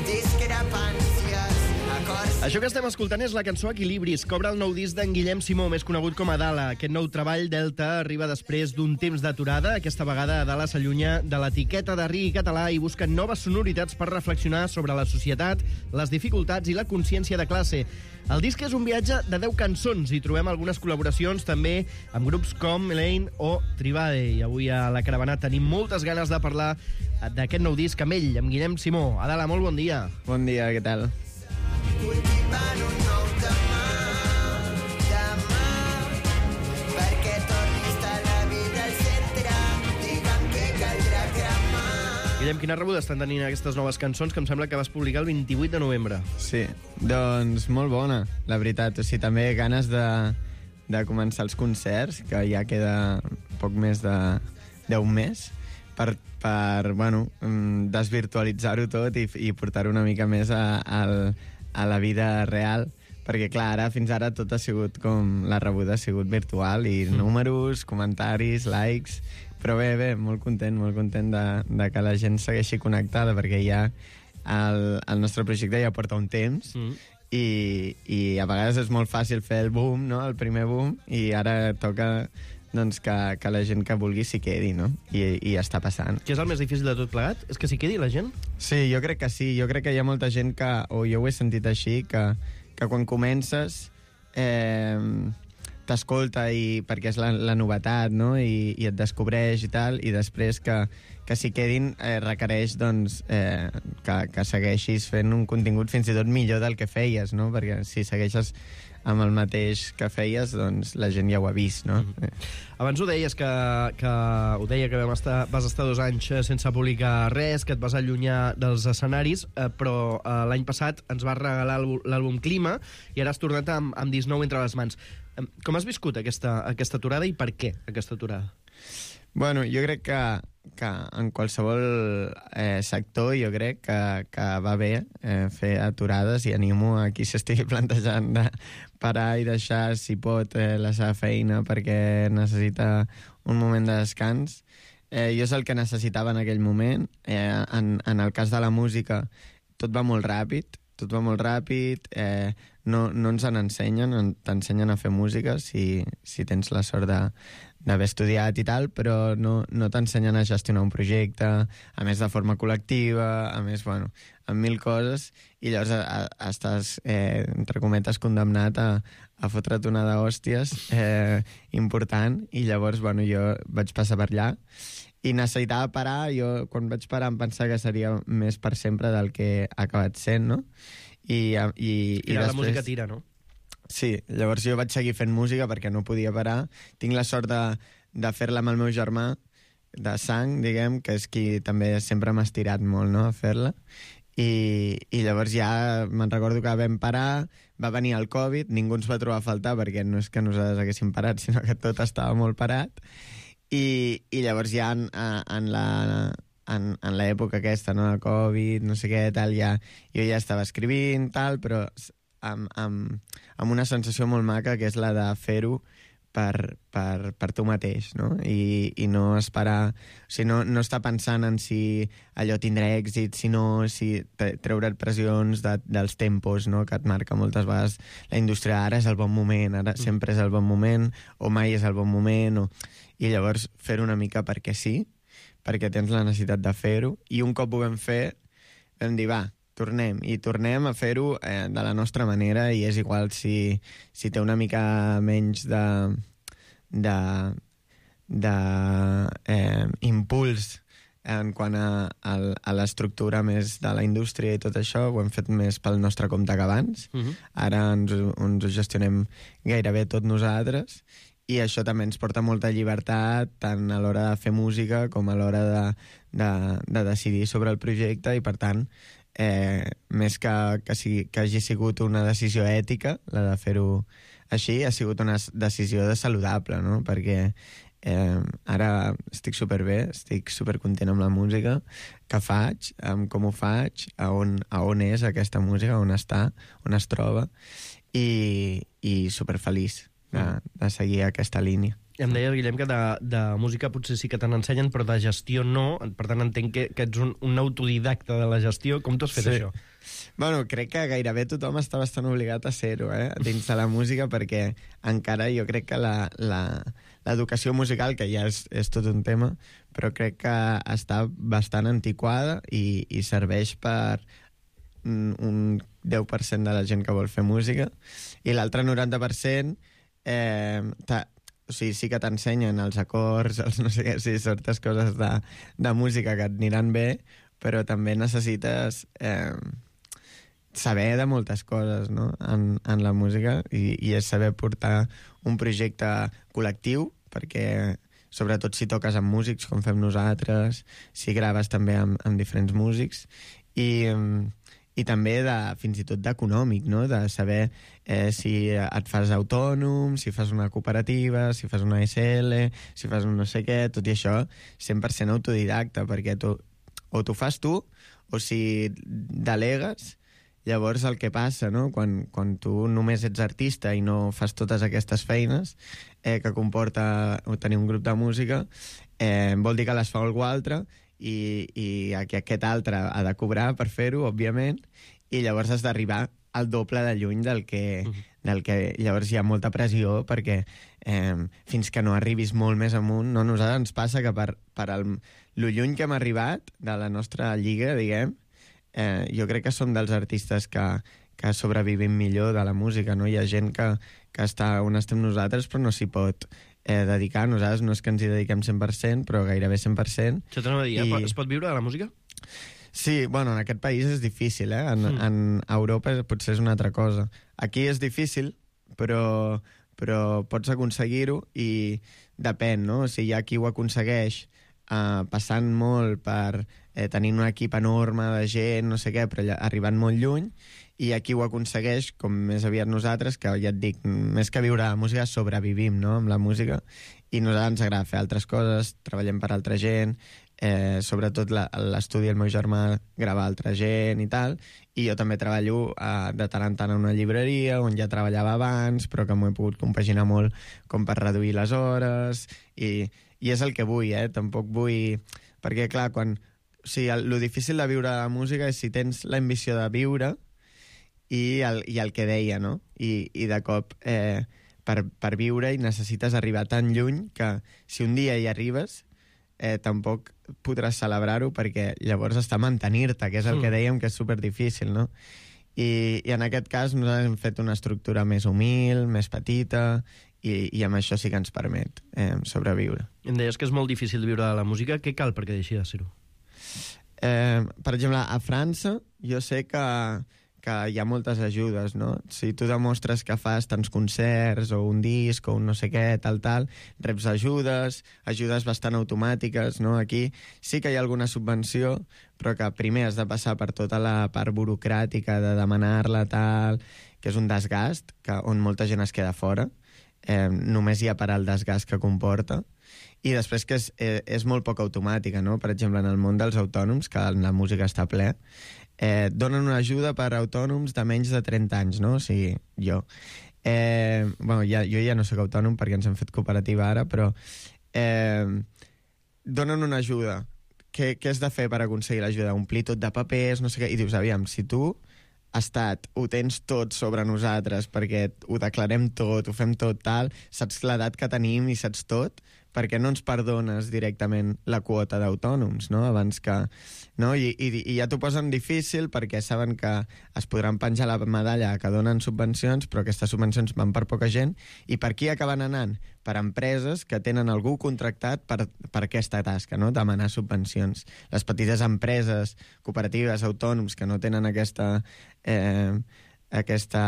discrepàncies, acords... Això que estem escoltant és la cançó Equilibris, que obre el nou disc d'en Guillem Simó, més conegut com a Dala. Aquest nou treball, Delta, arriba després d'un temps d'aturada. Aquesta vegada Dala s'allunya de l'etiqueta de reggae català i busca noves sonoritats per reflexionar sobre la societat, les dificultats i la consciència de classe. El disc és un viatge de deu cançons i trobem algunes col·laboracions també amb grups com Elaine o Tribade. I avui a La Caravana tenim moltes ganes de parlar d'aquest nou disc amb ell, amb Guillem Simó. Adala, molt bon dia. Bon dia, què tal? Cultivant un nou demà, demà, perquè tornis a la vida al centre, digue'm que caldrà cremar. Guillem, quina rebuda estan tenint aquestes noves cançons que em sembla que vas publicar el vint-i-vuit de novembre? Sí, doncs molt bona, la veritat. O sigui, també ganes de, de començar els concerts, que ja queda poc més de d'un mes, per, per bueno, desvirtualitzar-ho tot i, i portar-ho una mica més a, a, a la vida real, perquè clar, ara fins ara tot ha sigut com la rebuda ha sigut virtual i mm. números, comentaris, likes, però bé, bé, molt content, molt content de, de que la gent segueixi connectada, perquè ja el, el nostre projecte ja porta un temps mm. i, i a vegades és molt fàcil fer el boom, no? El primer boom, i ara toca doncs que, que la gent que vulgui s'hi quedi, no? I, i està passant. Què és el més difícil de tot plegat? És que s'hi quedi la gent? Sí, jo crec que sí. Jo crec que hi ha molta gent que, o jo ho he sentit així, que, que quan comences eh, t'escolta i, perquè és la, la novetat, no? I, i et descobreix i tal, i després que, que s'hi quedin eh, requereix doncs, eh, que, que segueixis fent un contingut fins i tot millor del que feies, no? Perquè si segueixes amb el mateix que feies, doncs la gent ja ho ha vist, no? Mm-hmm. Abans ho deies que, que ho deia que vam estar, vas estar dos anys sense publicar res, que et vas allunyar dels escenaris, eh, però eh, l'any passat ens vas regalar l'àlbum Clima i ara has tornat amb, amb disnou entre les mans. Eh, com has viscut aquesta, aquesta aturada i per què aquesta aturada? Bueno, jo crec que, que en qualsevol eh, sector jo crec que, que va bé eh, fer aturades i animo a qui s'estigui plantejant de parar i deixar, si pot, eh, la seva feina perquè necessita un moment de descans. Eh, jo és el que necessitava en aquell moment. Eh, en, en el cas de la música, tot va molt ràpid, tot va molt ràpid, eh, no, no ens en ensenyen, t'ensenyen a fer música si, si tens la sort de d'haver estudiat i tal, però no, no t'ensenyen a gestionar un projecte, a més de forma col·lectiva, a més, bueno, amb mil coses, i llavors a, a, estàs, eh, entre cometes, condemnat a, a fotre't una d'hòsties eh, important, i llavors, bueno, jo vaig passar per allà, i necessitava parar. Jo, quan vaig parar, em pensava que seria més per sempre del que ha acabat sent, no? I, i, i, I després... la música tira, no? Sí, llavors jo vaig seguir fent música perquè no podia parar. Tinc la sort de, de fer-la amb el meu germà de sang, diguem, que és qui també sempre m'ha estirat molt, no?, a fer-la. I, i llavors ja me'n recordo que vam parar, va venir el Covid, ningú ens va trobar a faltar perquè no és que nosaltres haguéssim parat, sinó que tot estava molt parat. I, i llavors ja en, en la... en, en l'època aquesta, no?, de Covid, no sé què, tal, ja, jo ja estava escrivint, tal, però amb, amb, amb una sensació molt maca, que és la de fer-ho per, per, per tu mateix, no? I, i no esperar... O sigui, no, no estar pensant en si allò tindrà èxit, sinó si treure't pressions de, dels tempos, no?, que et marca moltes vegades la indústria. Ara és el bon moment, ara sempre és el bon moment, o mai és el bon moment, o... I llavors fer-ho una mica perquè sí, perquè tens la necessitat de fer-ho, i un cop ho vam fer, vam dir, va, tornem, i tornem a fer-ho eh, de la nostra manera, i és igual si, si té una mica menys de, de, de eh, impuls en quant a, a, a l'estructura més de la indústria i tot això. Ho hem fet més pel nostre compte que abans. Uh-huh. Ara ens, ens ho gestionem gairebé tot nosaltres, i això també ens porta molta llibertat, tant a l'hora de fer música com a l'hora de, de, de decidir sobre el projecte, i per tant, eh, més que, que, sigui, que hagi sigut una decisió ètica, la de fer-ho així, ha sigut una decisió de saludable, no? Perquè eh, ara estic superbé, estic supercontent amb la música que faig, amb com ho faig, a on, a on és aquesta música, on està, on es troba, i, i superfeliç de, de seguir aquesta línia. I em deia, Guillem, que de, de música potser sí que te n'ensenyen, però de gestió no. Per tant, entenc que, que ets un, un autodidacta de la gestió. Com t'ho has fet, sí, això? Bueno, crec que gairebé tothom està bastant obligat a ser-ho, eh? Dins de la música, perquè encara jo crec que la, la, l'educació musical, que ja és, és tot un tema, però crec que està bastant antiquada i, i serveix per un deu per cent de la gent que vol fer música, i l'altre noranta per cent eh, o sigui, sí que t'ensenyen els acords, els no sé què, sí, certes coses de, de música que et aniran bé, però també necessites eh, saber de moltes coses, no?, en, en la música, i, i és saber portar un projecte col·lectiu, perquè sobretot si toques amb músics, com fem nosaltres, si graves també amb, amb diferents músics, i, i també de, fins i tot d'econòmic, no?, de saber eh, si et fas autònom, si fas una cooperativa, si fas una S L, si fas un no sé què, tot i això cent per cent autodidacta, perquè tu, o t'ho fas tu, o si delegues, llavors el que passa, no?, quan, quan tu només ets artista i no fas totes aquestes feines eh, que comporta tenir un grup de música, eh, vol dir que les fa algú altre, i, i que aquest altre ha de cobrar per fer-ho, òbviament, i llavors has d'arribar el doble de lluny del que, uh-huh. del que llavors hi ha molta pressió perquè eh, fins que no arribis molt més amunt, no? Nosaltres ens passa que per, per el, lo lluny que hem arribat de la nostra lliga, diguem, eh, jo crec que som dels artistes que, que sobrevivim millor de la música, no? Hi ha gent que, que està on estem nosaltres però no s'hi pot eh, dedicar. Nosaltres no és que ens hi dediquem cent per cent, però gairebé cent per cent. Això t'anava a dir, I... es pot viure de la música? Sí, bueno, en aquest país és difícil, eh? En, mm. en Europa potser és una altra cosa. Aquí és difícil, però, però pots aconseguir-ho i depèn, no? O sigui, hi ha qui ho aconsegueix eh, passant molt per eh, tenir un equip enorme de gent, no sé què, però arribant molt lluny, i hi ha qui ho aconsegueix, com més aviat nosaltres, que ja et dic, més que viure la música, sobrevivim, no?, amb la música, i a nosaltres ens agrada fer altres coses, treballem per altra gent, eh, sobretot l'estudi del meu germà grava altra gent i tal, i jo també treballo eh, de tant en tant a una llibreria on ja treballava abans, però que m'ho he pogut compaginar molt com per reduir les hores, i, i és el que vull, eh? Tampoc vull... Perquè, clar, quan... O sigui, el, el difícil de viure la música és si tens l'ambició de viure i el, i el que deia, no? I, i de cop, eh, per, per viure, i necessites arribar tan lluny que si un dia hi arribes, eh, tampoc podràs celebrar-ho perquè llavors està mantenir-te, que és el mm. que dèiem que és superdifícil, no? I, I en aquest cas nosaltres hem fet una estructura més humil, més petita, i, i amb això sí que ens permet eh, sobreviure. Em deies que és molt difícil viure de la música. Què cal perquè deixi de ser-ho? Eh, per exemple, a França jo sé que que hi ha moltes ajudes, no? Si tu demostres que fas tants concerts o un disc o un no sé què, tal, tal, reps ajudes, ajudes bastant automàtiques, no? Aquí sí que hi ha alguna subvenció, però que primer has de passar per tota la part burocràtica de demanar-la, tal, que és un desgast, que, on molta gent es queda fora. Eh, només hi ha per al desgast que comporta. I després que és, eh, és molt poc automàtica, no? Per exemple, en el món dels autònoms, que en la música està ple, eh, donen una ajuda per a autònoms de menys de trenta anys, no? O sigui, jo. Eh, bueno, ja, jo ja no soc autònom perquè ens hem fet cooperativa ara, però eh, donen una ajuda. Què, què has de fer per aconseguir l'ajuda? Omplir tot de papers, no sé què, i dius, aviam, si tu estat, ho tens tot sobre nosaltres perquè ho declarem tot, ho fem tot tal, saps l'edat que tenim i saps tot, perquè no ens perdones directament la quota d'autònoms, no?, abans que... No? I, i, i ja t'ho posen difícil perquè saben que es podran penjar la medalla que donen subvencions, però aquestes subvencions van per poca gent, i per qui acaben anant? Per empreses que tenen algú contractat per, per aquesta tasca, no?, demanar subvencions. Les petites empreses, cooperatives, autònoms que no tenen aquesta... Eh, aquesta,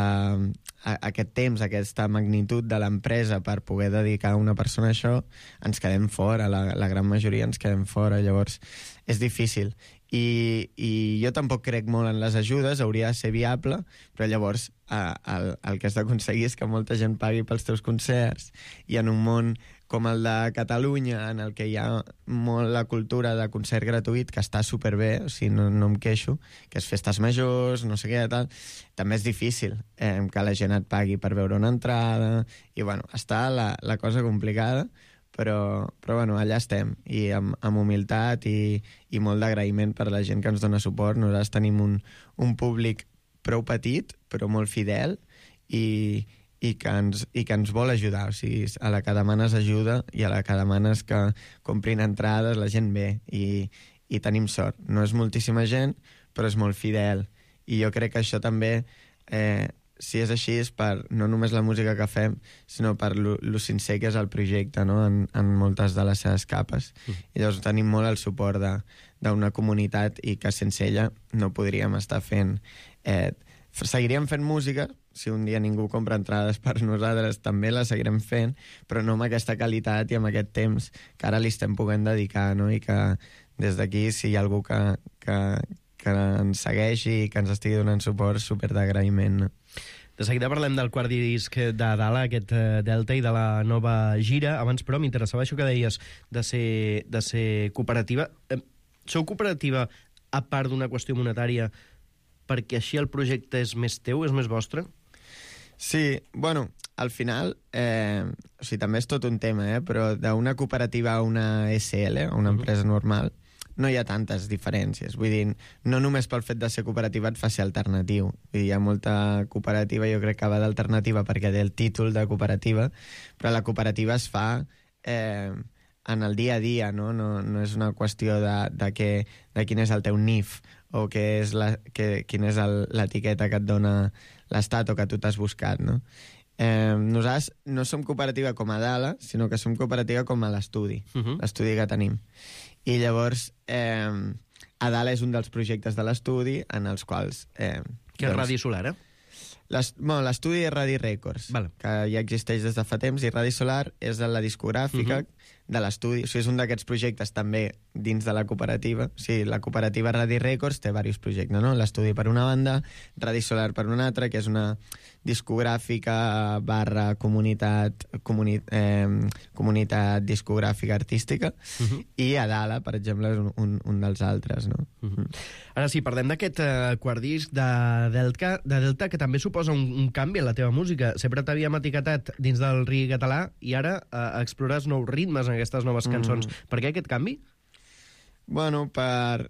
a, aquest temps, aquesta magnitud de l'empresa per poder dedicar una persona a això, ens quedem fora, la, la gran majoria ens quedem fora, llavors és difícil. I, i jo tampoc crec molt en les ajudes, hauria de ser viable, però llavors eh, el, el que has d'aconseguir és que molta gent pagui pels teus concerts, i en un món com el de Catalunya, en el que hi ha molt la cultura de concert gratuït, que està superbé, o sigui, no, no em queixo, que és festes majors, no sé què, tal, també és difícil eh, que la gent et pagui per veure una entrada, i bueno, està la, la cosa complicada, però, però bueno, allà estem, i amb, amb humilitat i, i molt d'agraïment per la gent que ens dona suport. Nosaltres tenim un, un públic prou petit, però molt fidel, i, i, que ens, i que ens vol ajudar. O sigui, a la que demanes ajuda i a la que demanes que comprin entrades, la gent ve, i, i tenim sort. No és moltíssima gent, però és molt fidel, i jo crec que això també... Eh, si és així és per no només la música que fem, sinó per lo, lo sincer que és el projecte, no?, en, en moltes de les seves capes. Mm. I llavors tenim molt el suport d'una comunitat, i que sense ella no podríem estar fent... Eh, seguiríem fent música, si un dia ningú compra entrades per nosaltres, també la seguirem fent, però no amb aquesta qualitat i amb aquest temps que ara li estem podent dedicar, no?, i que des d'aquí, si hi ha algú que, que, que ens segueixi i que ens estigui donant suport, super d'agraïment, no? De seguida parlem del quart disc de Dala, aquest Delta, i de la nova gira. Abans, però, m'interessava això que deies de ser, de ser cooperativa. Sou cooperativa a part d'una qüestió monetària perquè així el projecte és més teu, és més vostre? Sí, bueno, al final, eh, o sigui, també és tot un tema, eh, però d'una cooperativa a una S L, a una empresa normal, no hi ha tantes diferències. Vull dir, no només pel fet de ser cooperativa et fa ser alternatiu. Vull dir, hi ha molta cooperativa, jo crec que va d'alternativa perquè té el títol de cooperativa, però la cooperativa es fa eh, en el dia a dia, no? No, no és una qüestió de, de, que, de quin és el teu N I F o que és la, que, quina és l'etiqueta que et dona l'Estat o que tu t'has buscat, no? Eh, nosaltres no som cooperativa com a Dala, sinó que som cooperativa com a l'estudi, uh -huh. l'estudi que tenim. I llavors, eh, a Dala és un dels projectes de l'estudi en els quals... Eh, que és doncs, Radi Solar, eh? L'estudi és Radi Records, vale. que ja existeix des de fa temps, i Radi Solar és la discogràfica uh -huh. de l'estudi. O sigui, és un d'aquests projectes també dins de la cooperativa. O sigui, la cooperativa Radi Records té diversos projectes, no? L'estudi per una banda, Radi Solar per una altra, que és una discogràfica barra comunitat, comuni, eh, comunitat discogràfica artística, uh -huh. i a Dala, per exemple, és un, un, un dels altres, no? Uh -huh. Ara sí, parlem d'aquest eh, quart disc de Delta, de Delta, que també suposa un, un canvi en la teva música. Sempre t'havíem etiquetat dins del reggae català i ara eh, explores nous ritmes en aquestes noves cançons. Mm. Per què aquest canvi? Bueno, per...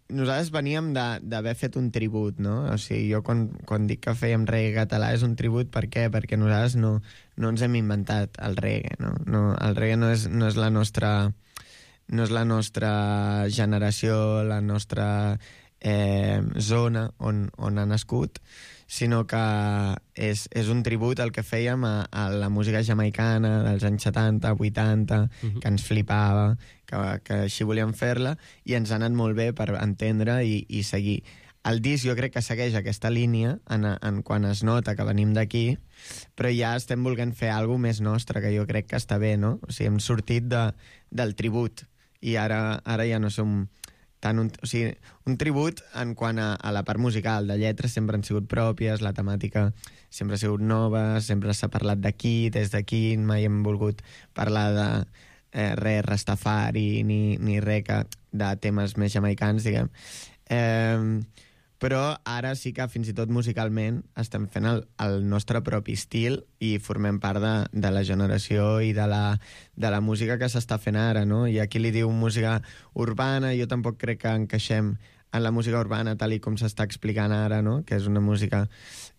Nosaltres veníem d'haver fet un tribut, no? O sigui, jo quan, quan dic que fèiem reggae català és un tribut, per què? Perquè nosaltres no, no ens hem inventat el reggae, no? no el reggae no és, no és la nostra... no és la nostra generació, la nostra eh, zona on, on ha nascut, sinó que és, és un tribut al que fèiem a, a la música jamaicana dels anys setanta, vuitanta, uh-huh. que ens flipava, que, que així volíem fer-la, i ens ha anat molt bé per entendre i, i seguir. El disc jo crec que segueix aquesta línia en, en quan es nota que venim d'aquí, però ja estem volent fer alguna cosa més nostre, que jo crec que està bé, no? O sigui, hem sortit de, del tribut, i ara, ara ja no som... Tant un, o sigui, un tribut en quant a, a la part musical, de lletres sempre han sigut pròpies, la temàtica sempre ha sigut nova, sempre s'ha parlat d'aquí, des d'aquí, mai hem volgut parlar de eh, res rastafari ni, ni res que, de temes més jamaicans, diguem. Eh, però ara sí que fins i tot musicalment estem fent el, el nostre propi estil i formem part de, de la generació i de la, de la música que s'està fent ara, no? I aquí li diu música urbana, jo tampoc crec que encaixem en la música urbana tal i com s'està explicant ara, no? Que és una música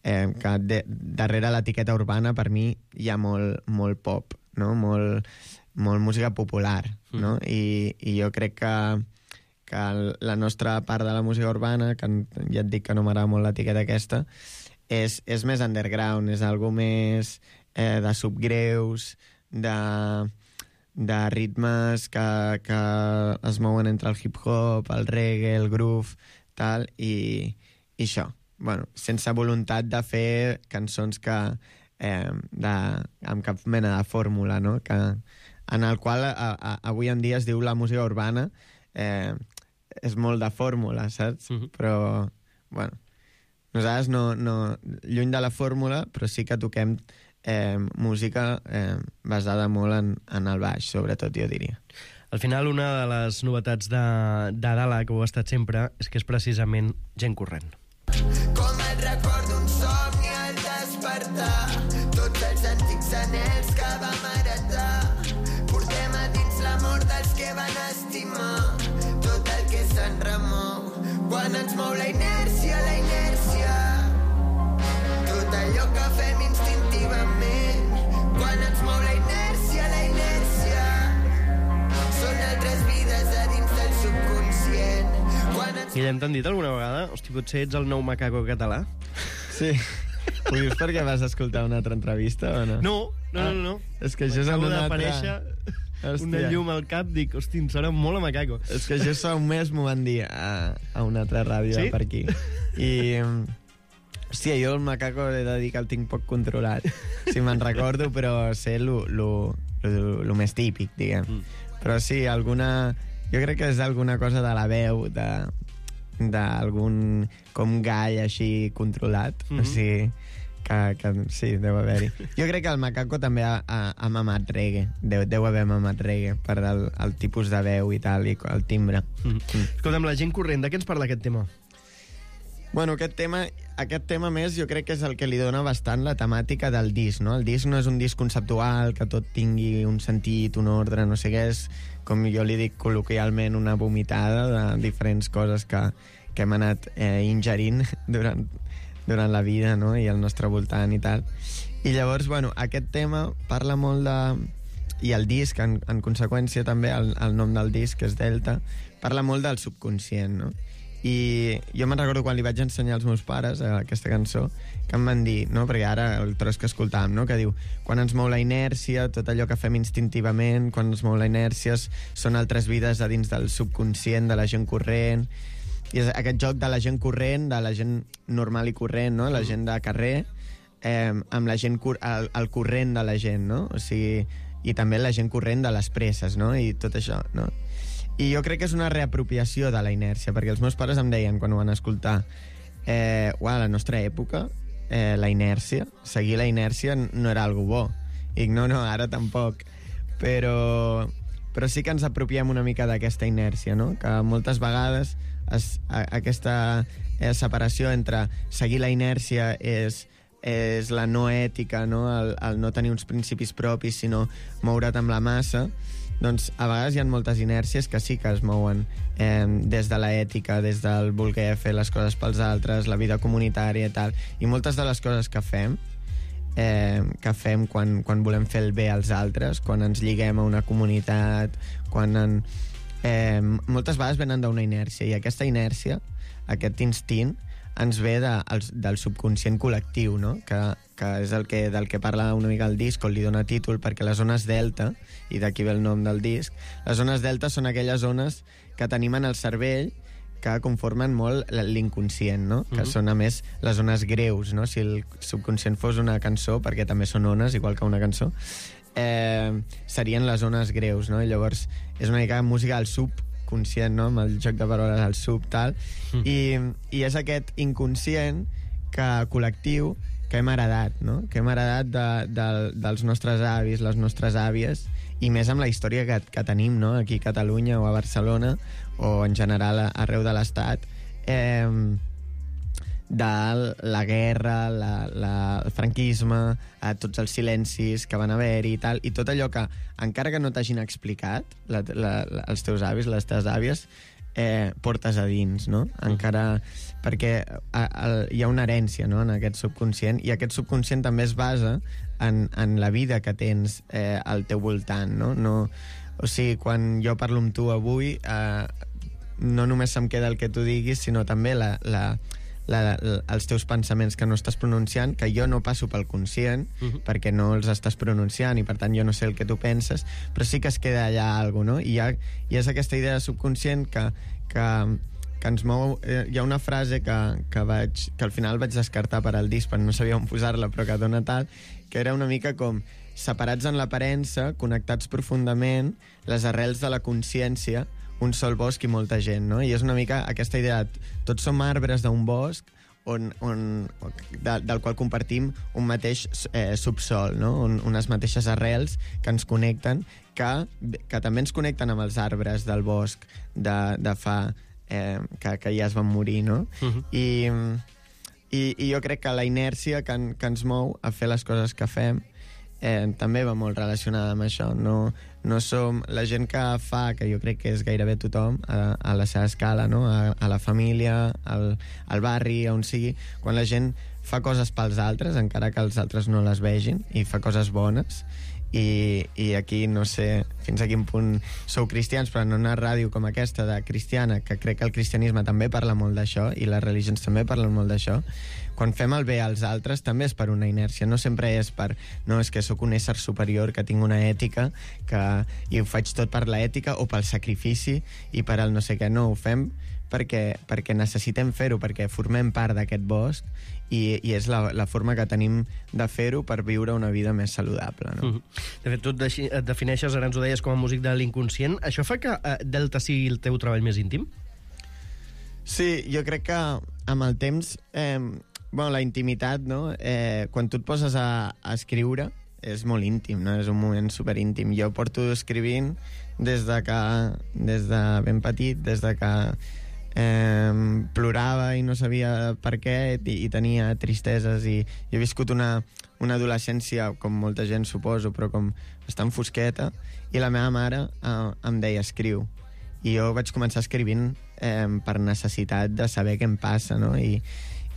eh, que de, darrere l'etiqueta urbana per mi hi ha molt, molt pop, no? Molt, molt música popular, no? Mm. I, i jo crec que que la nostra part de la música urbana, que ja et dic que no m'agrada molt l'etiqueta aquesta, és, és més underground, és algo més eh, de subgreus, de, de ritmes que, que es mouen entre el hip-hop, el reggae, el groove, tal, i, i això. Bueno, sense voluntat de fer cançons que, eh, de, amb cap mena de fórmula, no? Que, en el qual a, a, avui en dia es diu la música urbana, eh, és molt de fórmula, saps? Uh -huh. Però, bueno, nosaltres no, no... Lluny de la fórmula, però sí que toquem eh, música eh, basada molt en, en el baix, sobretot, jo diria. Al final, una de les novetats de, de Dala, que ho ha estat sempre, és que és precisament gent corrent. Com el record d'un somni al despertar, tots els antics anells que vam heretar, portem a dins l'amor dels que van estimar, tot el que se'n remou quan ens mou la inèrcia, la inèrcia, tot allò que fem instintivament quan ens mou la inèrcia, la inèrcia, són altres vides a dins del subconscient. Ens... Guillem, t'han dit alguna vegada? Hosti, potser ets el nou macaco català? Sí. Ho dius perquè vas escoltar una altra entrevista o no? No, no, ah, no, no. És que això és en una altra... Hòstia. Una llum al cap, dic, hosti, em sona molt a macaco. És que això fa un mes m'ho van dir a, a una altra ràdio sí? per aquí. I, hòstia, jo el macaco he de dir que el tinc poc controlat. Si me'n recordo, però sé el més típic, diguem. Mm. Però sí, alguna... Jo crec que és alguna cosa de la veu, de d'algun com gall així controlat. Mm-hmm. O sigui... Que, que sí, deu haver-hi. Jo crec que el macaco també ha, ha, ha mamat reggae. Deu, deu haver mamat reggae per el, el tipus de veu i tal, i el timbre. Mm. Mm. Escolta'm, la gent corrent, de què ens parla aquest tema? Bueno, aquest tema, aquest tema més jo crec que és el que li dona bastant la temàtica del disc, no? El disc no és un disc conceptual, que tot tingui un sentit, un ordre, no sé què, és, com jo li dic col·loquialment, una vomitada de diferents coses que, que hem anat eh, ingerint durant, durant la vida, no? I al nostre voltant i tal. I llavors, bueno, aquest tema parla molt de... I el disc, en, en conseqüència també, el, el nom del disc, que és Delta, parla molt del subconscient, no? I jo me'n recordo quan li vaig ensenyar als meus pares eh, aquesta cançó, que em van dir, no? Perquè ara el tros que escoltàvem, no? Que diu, quan ens mou la inèrcia, tot allò que fem instintivament, quan ens mou la inèrcia són altres vides a dins del subconscient de la gent corrent, i és aquest joc de la gent corrent, de la gent normal i corrent, no? La gent de carrer, eh, amb la gent cor el, el corrent de la gent, no? O sigui, i també la gent corrent de les presses, no? I tot això, no? I jo crec que és una reapropiació de la inèrcia, perquè els meus pares em deien, quan ho van escoltar, eh, uah, a la nostra època, eh, la inèrcia, seguir la inèrcia no era algo bo. I dic, no, no, ara tampoc. Però, però sí que ens apropiem una mica d'aquesta inèrcia, no? Que moltes vegades es, a, aquesta eh, separació entre seguir la inèrcia és és la no ètica, no? El, el no tenir uns principis propis, sinó moure't amb la massa, doncs a vegades hi ha moltes inèrcies que sí que es mouen eh, des de l'ètica, des del voler fer les coses pels altres, la vida comunitària i tal. I moltes de les coses que fem, eh, que fem quan, quan volem fer el bé als altres, quan ens lliguem a una comunitat, quan en, eh, moltes vegades venen d'una inèrcia, i aquesta inèrcia, aquest instint, ens ve de, el, del subconscient col·lectiu, no? que, que és el que, del que parla una mica el disc, on li dona títol, perquè les zones delta, i d'aquí ve el nom del disc, les zones delta són aquelles zones que tenim en el cervell que conformen molt l'inconscient, no? Que uh-huh. són, a més, les zones greus, no? Si el subconscient fos una cançó, perquè també són ones, igual que una cançó, eh, serien les zones greus, no? I llavors és una mica música del sub, conscient, no? Amb el joc de paraules al sub, tal, mm. i, i és aquest inconscient que, col·lectiu que hem heredat, no? Que hem heredat de, de, dels nostres avis, les nostres àvies, i més amb la història que, que tenim, no? Aquí a Catalunya o a Barcelona, o en general arreu de l'Estat, eh, de la guerra, la, la, el franquisme, a tots els silencis que van haver-hi i tal, i tot allò que, encara que no t'hagin explicat, la, la, la, els teus avis, les teves àvies, eh, portes a dins, no? Encara... Perquè a, a, hi ha una herència, no?, en aquest subconscient, i aquest subconscient també es basa en, en la vida que tens eh, al teu voltant, no? no? O sigui, quan jo parlo amb tu avui, eh, no només se'm queda el que tu diguis, sinó també la... la La, la, els teus pensaments que no estàs pronunciant, que jo no passo pel conscient, uh-huh. perquè no els estàs pronunciant, i per tant jo no sé el que tu penses, però sí que es queda allà alguna cosa, no? I, hi ha, i és aquesta idea subconscient que, que, que ens mou... Eh, hi ha una frase que, que, vaig, que al final vaig descartar per al disc, perquè no sabia on posar-la, però que dona tal, que era una mica com separats en l'aparença, connectats profundament, les arrels de la consciència, un sol bosc i molta gent, no? I és una mica aquesta idea de tots som arbres d'un bosc on, on, de, del qual compartim un mateix eh, subsol, no? Un, unes mateixes arrels que ens connecten, que, que també ens connecten amb els arbres del bosc de, de fa... Eh, que, que ja es van morir, no? Uh-huh. I, i, I jo crec que la inèrcia que, en, que ens mou a fer les coses que fem eh, també va molt relacionada amb això. No, no som la gent que fa, que jo crec que és gairebé tothom a, a la seva escala, no? a, a la família, al, al barri, on sigui, quan la gent fa coses pels altres, encara que els altres no les vegin, i fa coses bones. I, i aquí no sé fins a quin punt sou cristians, però en una ràdio com aquesta de cristiana, que crec que el cristianisme també parla molt d'això i les religions també parlen molt d'això, quan fem el bé als altres també és per una inèrcia, no sempre és per no, és que sóc un ésser superior, que tinc una ètica que, i ho faig tot per l'ètica o pel sacrifici i per el no sé què. No, ho fem perquè, perquè necessitem fer-ho, perquè formem part d'aquest bosc i, i és la, la forma que tenim de fer-ho per viure una vida més saludable, no? Mm-hmm. De fet, tu et defineixes, ara ens ho deies, com a músic de l'inconscient. Això fa que eh, Delta sigui el teu treball més íntim? Sí, jo crec que amb el temps... Eh, bueno, la intimitat, no? Eh, quan tu et poses a, a escriure, és molt íntim, no? És un moment superíntim. Jo porto escrivint des de que... des de ben petit, des de que eh, plorava i no sabia per què i, i tenia tristeses i, i he viscut una, una adolescència, com molta gent suposo, però com bastant fosqueta, i la meva mare eh, em deia escriu, i jo vaig començar escrivint eh, per necessitat de saber què em passa, no? I,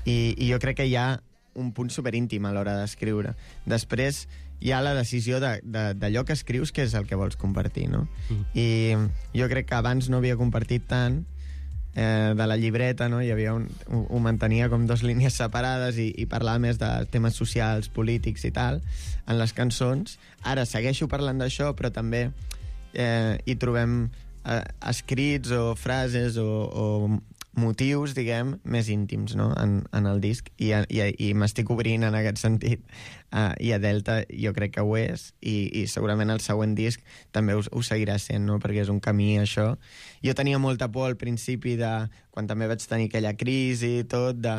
i, i jo crec que hi ha un punt superíntim a l'hora d'escriure. Després hi ha la decisió de, de, d'allò que escrius, que és el que vols compartir, no? Mm. I jo crec que abans no havia compartit tant eh, de la llibreta, no? Hi havia un, ho, ho mantenia com dos línies separades i, i parlava més de temes socials, polítics i tal, en les cançons. Ara segueixo parlant d'això, però també eh, hi trobem eh, escrits o frases o, o motius, diguem, més íntims, no?, en, en el disc, i, i, i m'estic obrint en aquest sentit, uh, i a Delta jo crec que ho és, i, i segurament el següent disc també ho, ho seguirà sent, no?, perquè és un camí, això. Jo tenia molta por al principi, de, quan també vaig tenir aquella crisi i tot, de,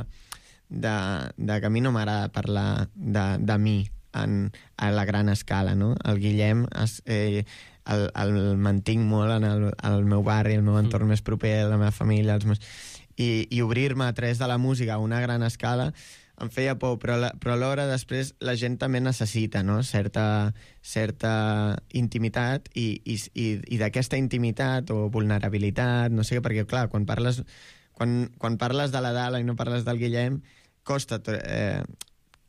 de, de que a mi no m'agrada parlar de, de mi en, a la gran escala, no? El Guillem es, eh, el, el mantinc molt en el, el meu barri, el meu entorn mm. més proper, la meva família, els meus... I, i obrir-me a través de la música a una gran escala em feia por, però, la, però alhora després la gent també necessita, no?, certa, certa intimitat i, i, i, i d'aquesta intimitat o vulnerabilitat, no sé què, perquè clar, quan parles, quan, quan parles de la Dala i no parles del Guillem, costa eh,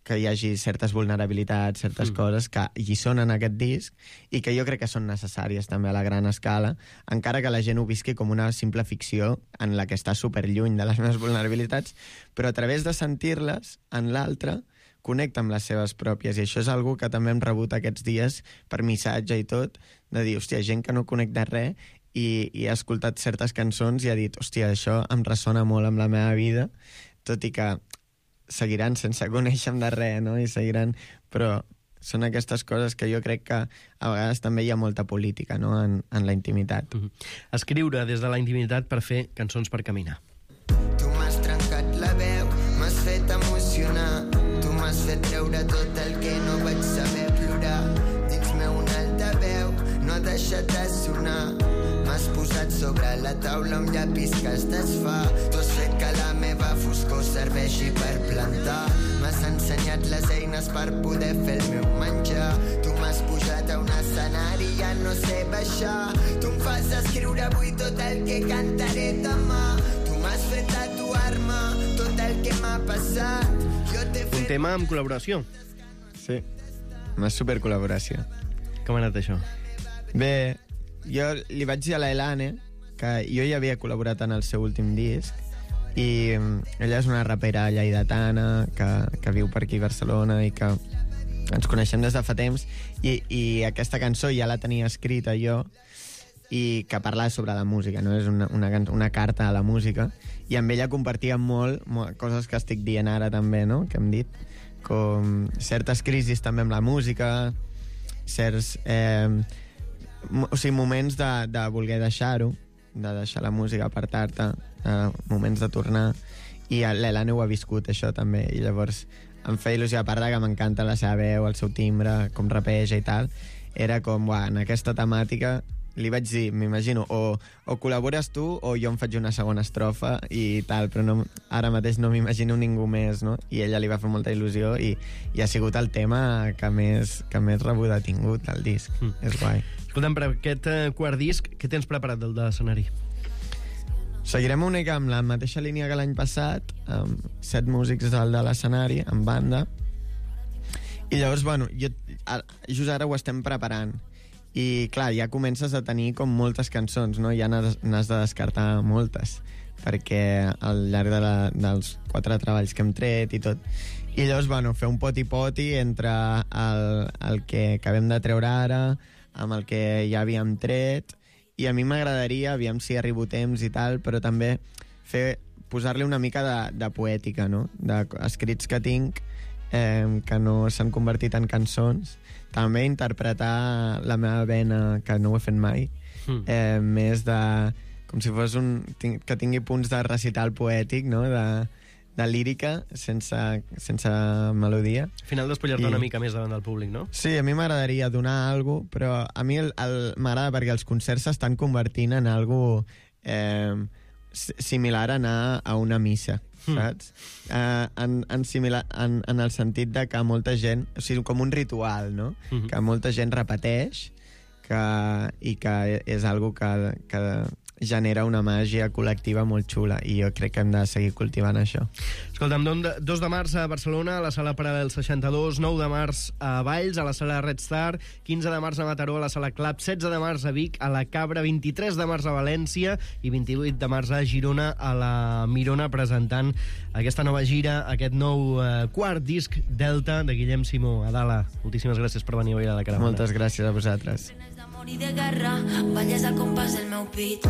que hi hagi certes vulnerabilitats, certes mm. coses que hi són en aquest disc i que jo crec que són necessàries també a la gran escala, encara que la gent ho visqui com una simple ficció en la que està superlluny de les meves vulnerabilitats, però a través de sentir-les en l'altre connecta amb les seves pròpies, i això és algo que també hem rebut aquests dies per missatge i tot, de dir, hòstia, gent que no connecta res i, i ha escoltat certes cançons i ha dit, hòstia, això em ressona molt amb la meva vida, tot i que seguiran sense conèixer-me de res, no? I seguiran... Però són aquestes coses que jo crec que a vegades també hi ha molta política, no?, en, en la intimitat. Mm-hmm. Escriure des de la intimitat per fer cançons per caminar. Tu m'has trencat la veu, m'has fet emocionar, tu m'has fet treure tot el que no vaig saber plorar. Dins meu un altaveu, no ha deixat de sonar. M'has posat sobre la taula un llapis que es desfà. Tu has fet que la meva foscor serveixi per plantar. M'has ensenyat les eines per poder fer el meu menjar. Tu m'has pujat a un escenari i ja no sé baixar. Tu em fas escriure avui tot el que cantaré demà. Tu m'has fet tatuar-me tot el que m'ha passat. Jo t'he fet... Un tema amb col·laboració. Sí, una supercol·laboració. Com ha anat això? Bé, jo li vaig dir a la Elane que jo ja havia col·laborat en el seu últim disc i ella és una rapera lleidatana que, que viu per aquí a Barcelona i que ens coneixem des de fa temps i, i aquesta cançó ja la tenia escrita jo i que parla sobre la música, no? És una, una, una carta a la música i amb ella compartíem molt, molt coses que estic dient ara també, no?, que hem dit, com certes crisis també amb la música, certs... Eh, o sigui, moments de, de voler deixar-ho, de deixar la música, apartar-te, uh, moments de tornar, i l'Elane ho ha viscut, això, també, i llavors em feia il·lusió, a part que m'encanta la seva veu, el seu timbre, com rapeja i tal, era com, uah, en aquesta temàtica, li vaig dir, m'imagino, o, o col·labores tu o jo em faig una segona estrofa i tal, però no, ara mateix no m'imagino ningú més, no? I ella li va fer molta il·lusió i, i ha sigut el tema que més, que més rebuda ha tingut, el disc. Mm. És guai. Escolta'm, per aquest quart disc, què tens preparat del de l'escenari? Seguirem una mica amb la mateixa línia que l'any passat, amb set músics del de l'escenari, en banda, i llavors, bueno, jo, just ara ho estem preparant, i clar, ja comences a tenir com moltes cançons, no? Ja n'has de descartar moltes, perquè al llarg de la, dels quatre treballs que hem tret i tot, i llavors, bueno, fer un poti-poti entre el, el que acabem de treure ara, amb el que ja havíem tret, i a mi m'agradaria, aviam si arribo temps i tal, però també fer, posar-li una mica de, de poètica, no?, d'escrits que tinc, eh, que no s'han convertit en cançons, també interpretar la meva vena, que no ho he fet mai, mm. eh, més de... com si fos un... que tingui punts de recital poètic, no?, de, de lírica, sense, sense melodia. Al final despullar-te I... una mica més davant del públic, no? Sí, a mi m'agradaria donar alguna cosa, però a mi el, el, m'agrada perquè els concerts s'estan convertint en alguna cosa... Eh, similar a anar a una missa, saps? Mm. Uh, en, en, similar, en, en el sentit de que molta gent... O sigui, com un ritual, no? Mm-hmm. Que molta gent repeteix que, i que és algo que, que genera una màgia col·lectiva molt xula, i jo crec que hem de seguir cultivant això. Escolta'm, dos de març a Barcelona, a la sala Paral·lel seixanta-dos, nou de març a Valls, a la sala Red Star, quinze de març a Mataró, a la sala Club, setze de març a Vic, a la Cabra, vint-i-tres de març a València i vint-i-vuit de març a Girona, a la Mirona, presentant aquesta nova gira, aquest nou eh, quart disc Delta de Guillem Simó. Adala, moltíssimes gràcies per venir avui a la Caravana. Moltes gràcies a vosaltres. Morir de guerra, balles al compàs del meu pit.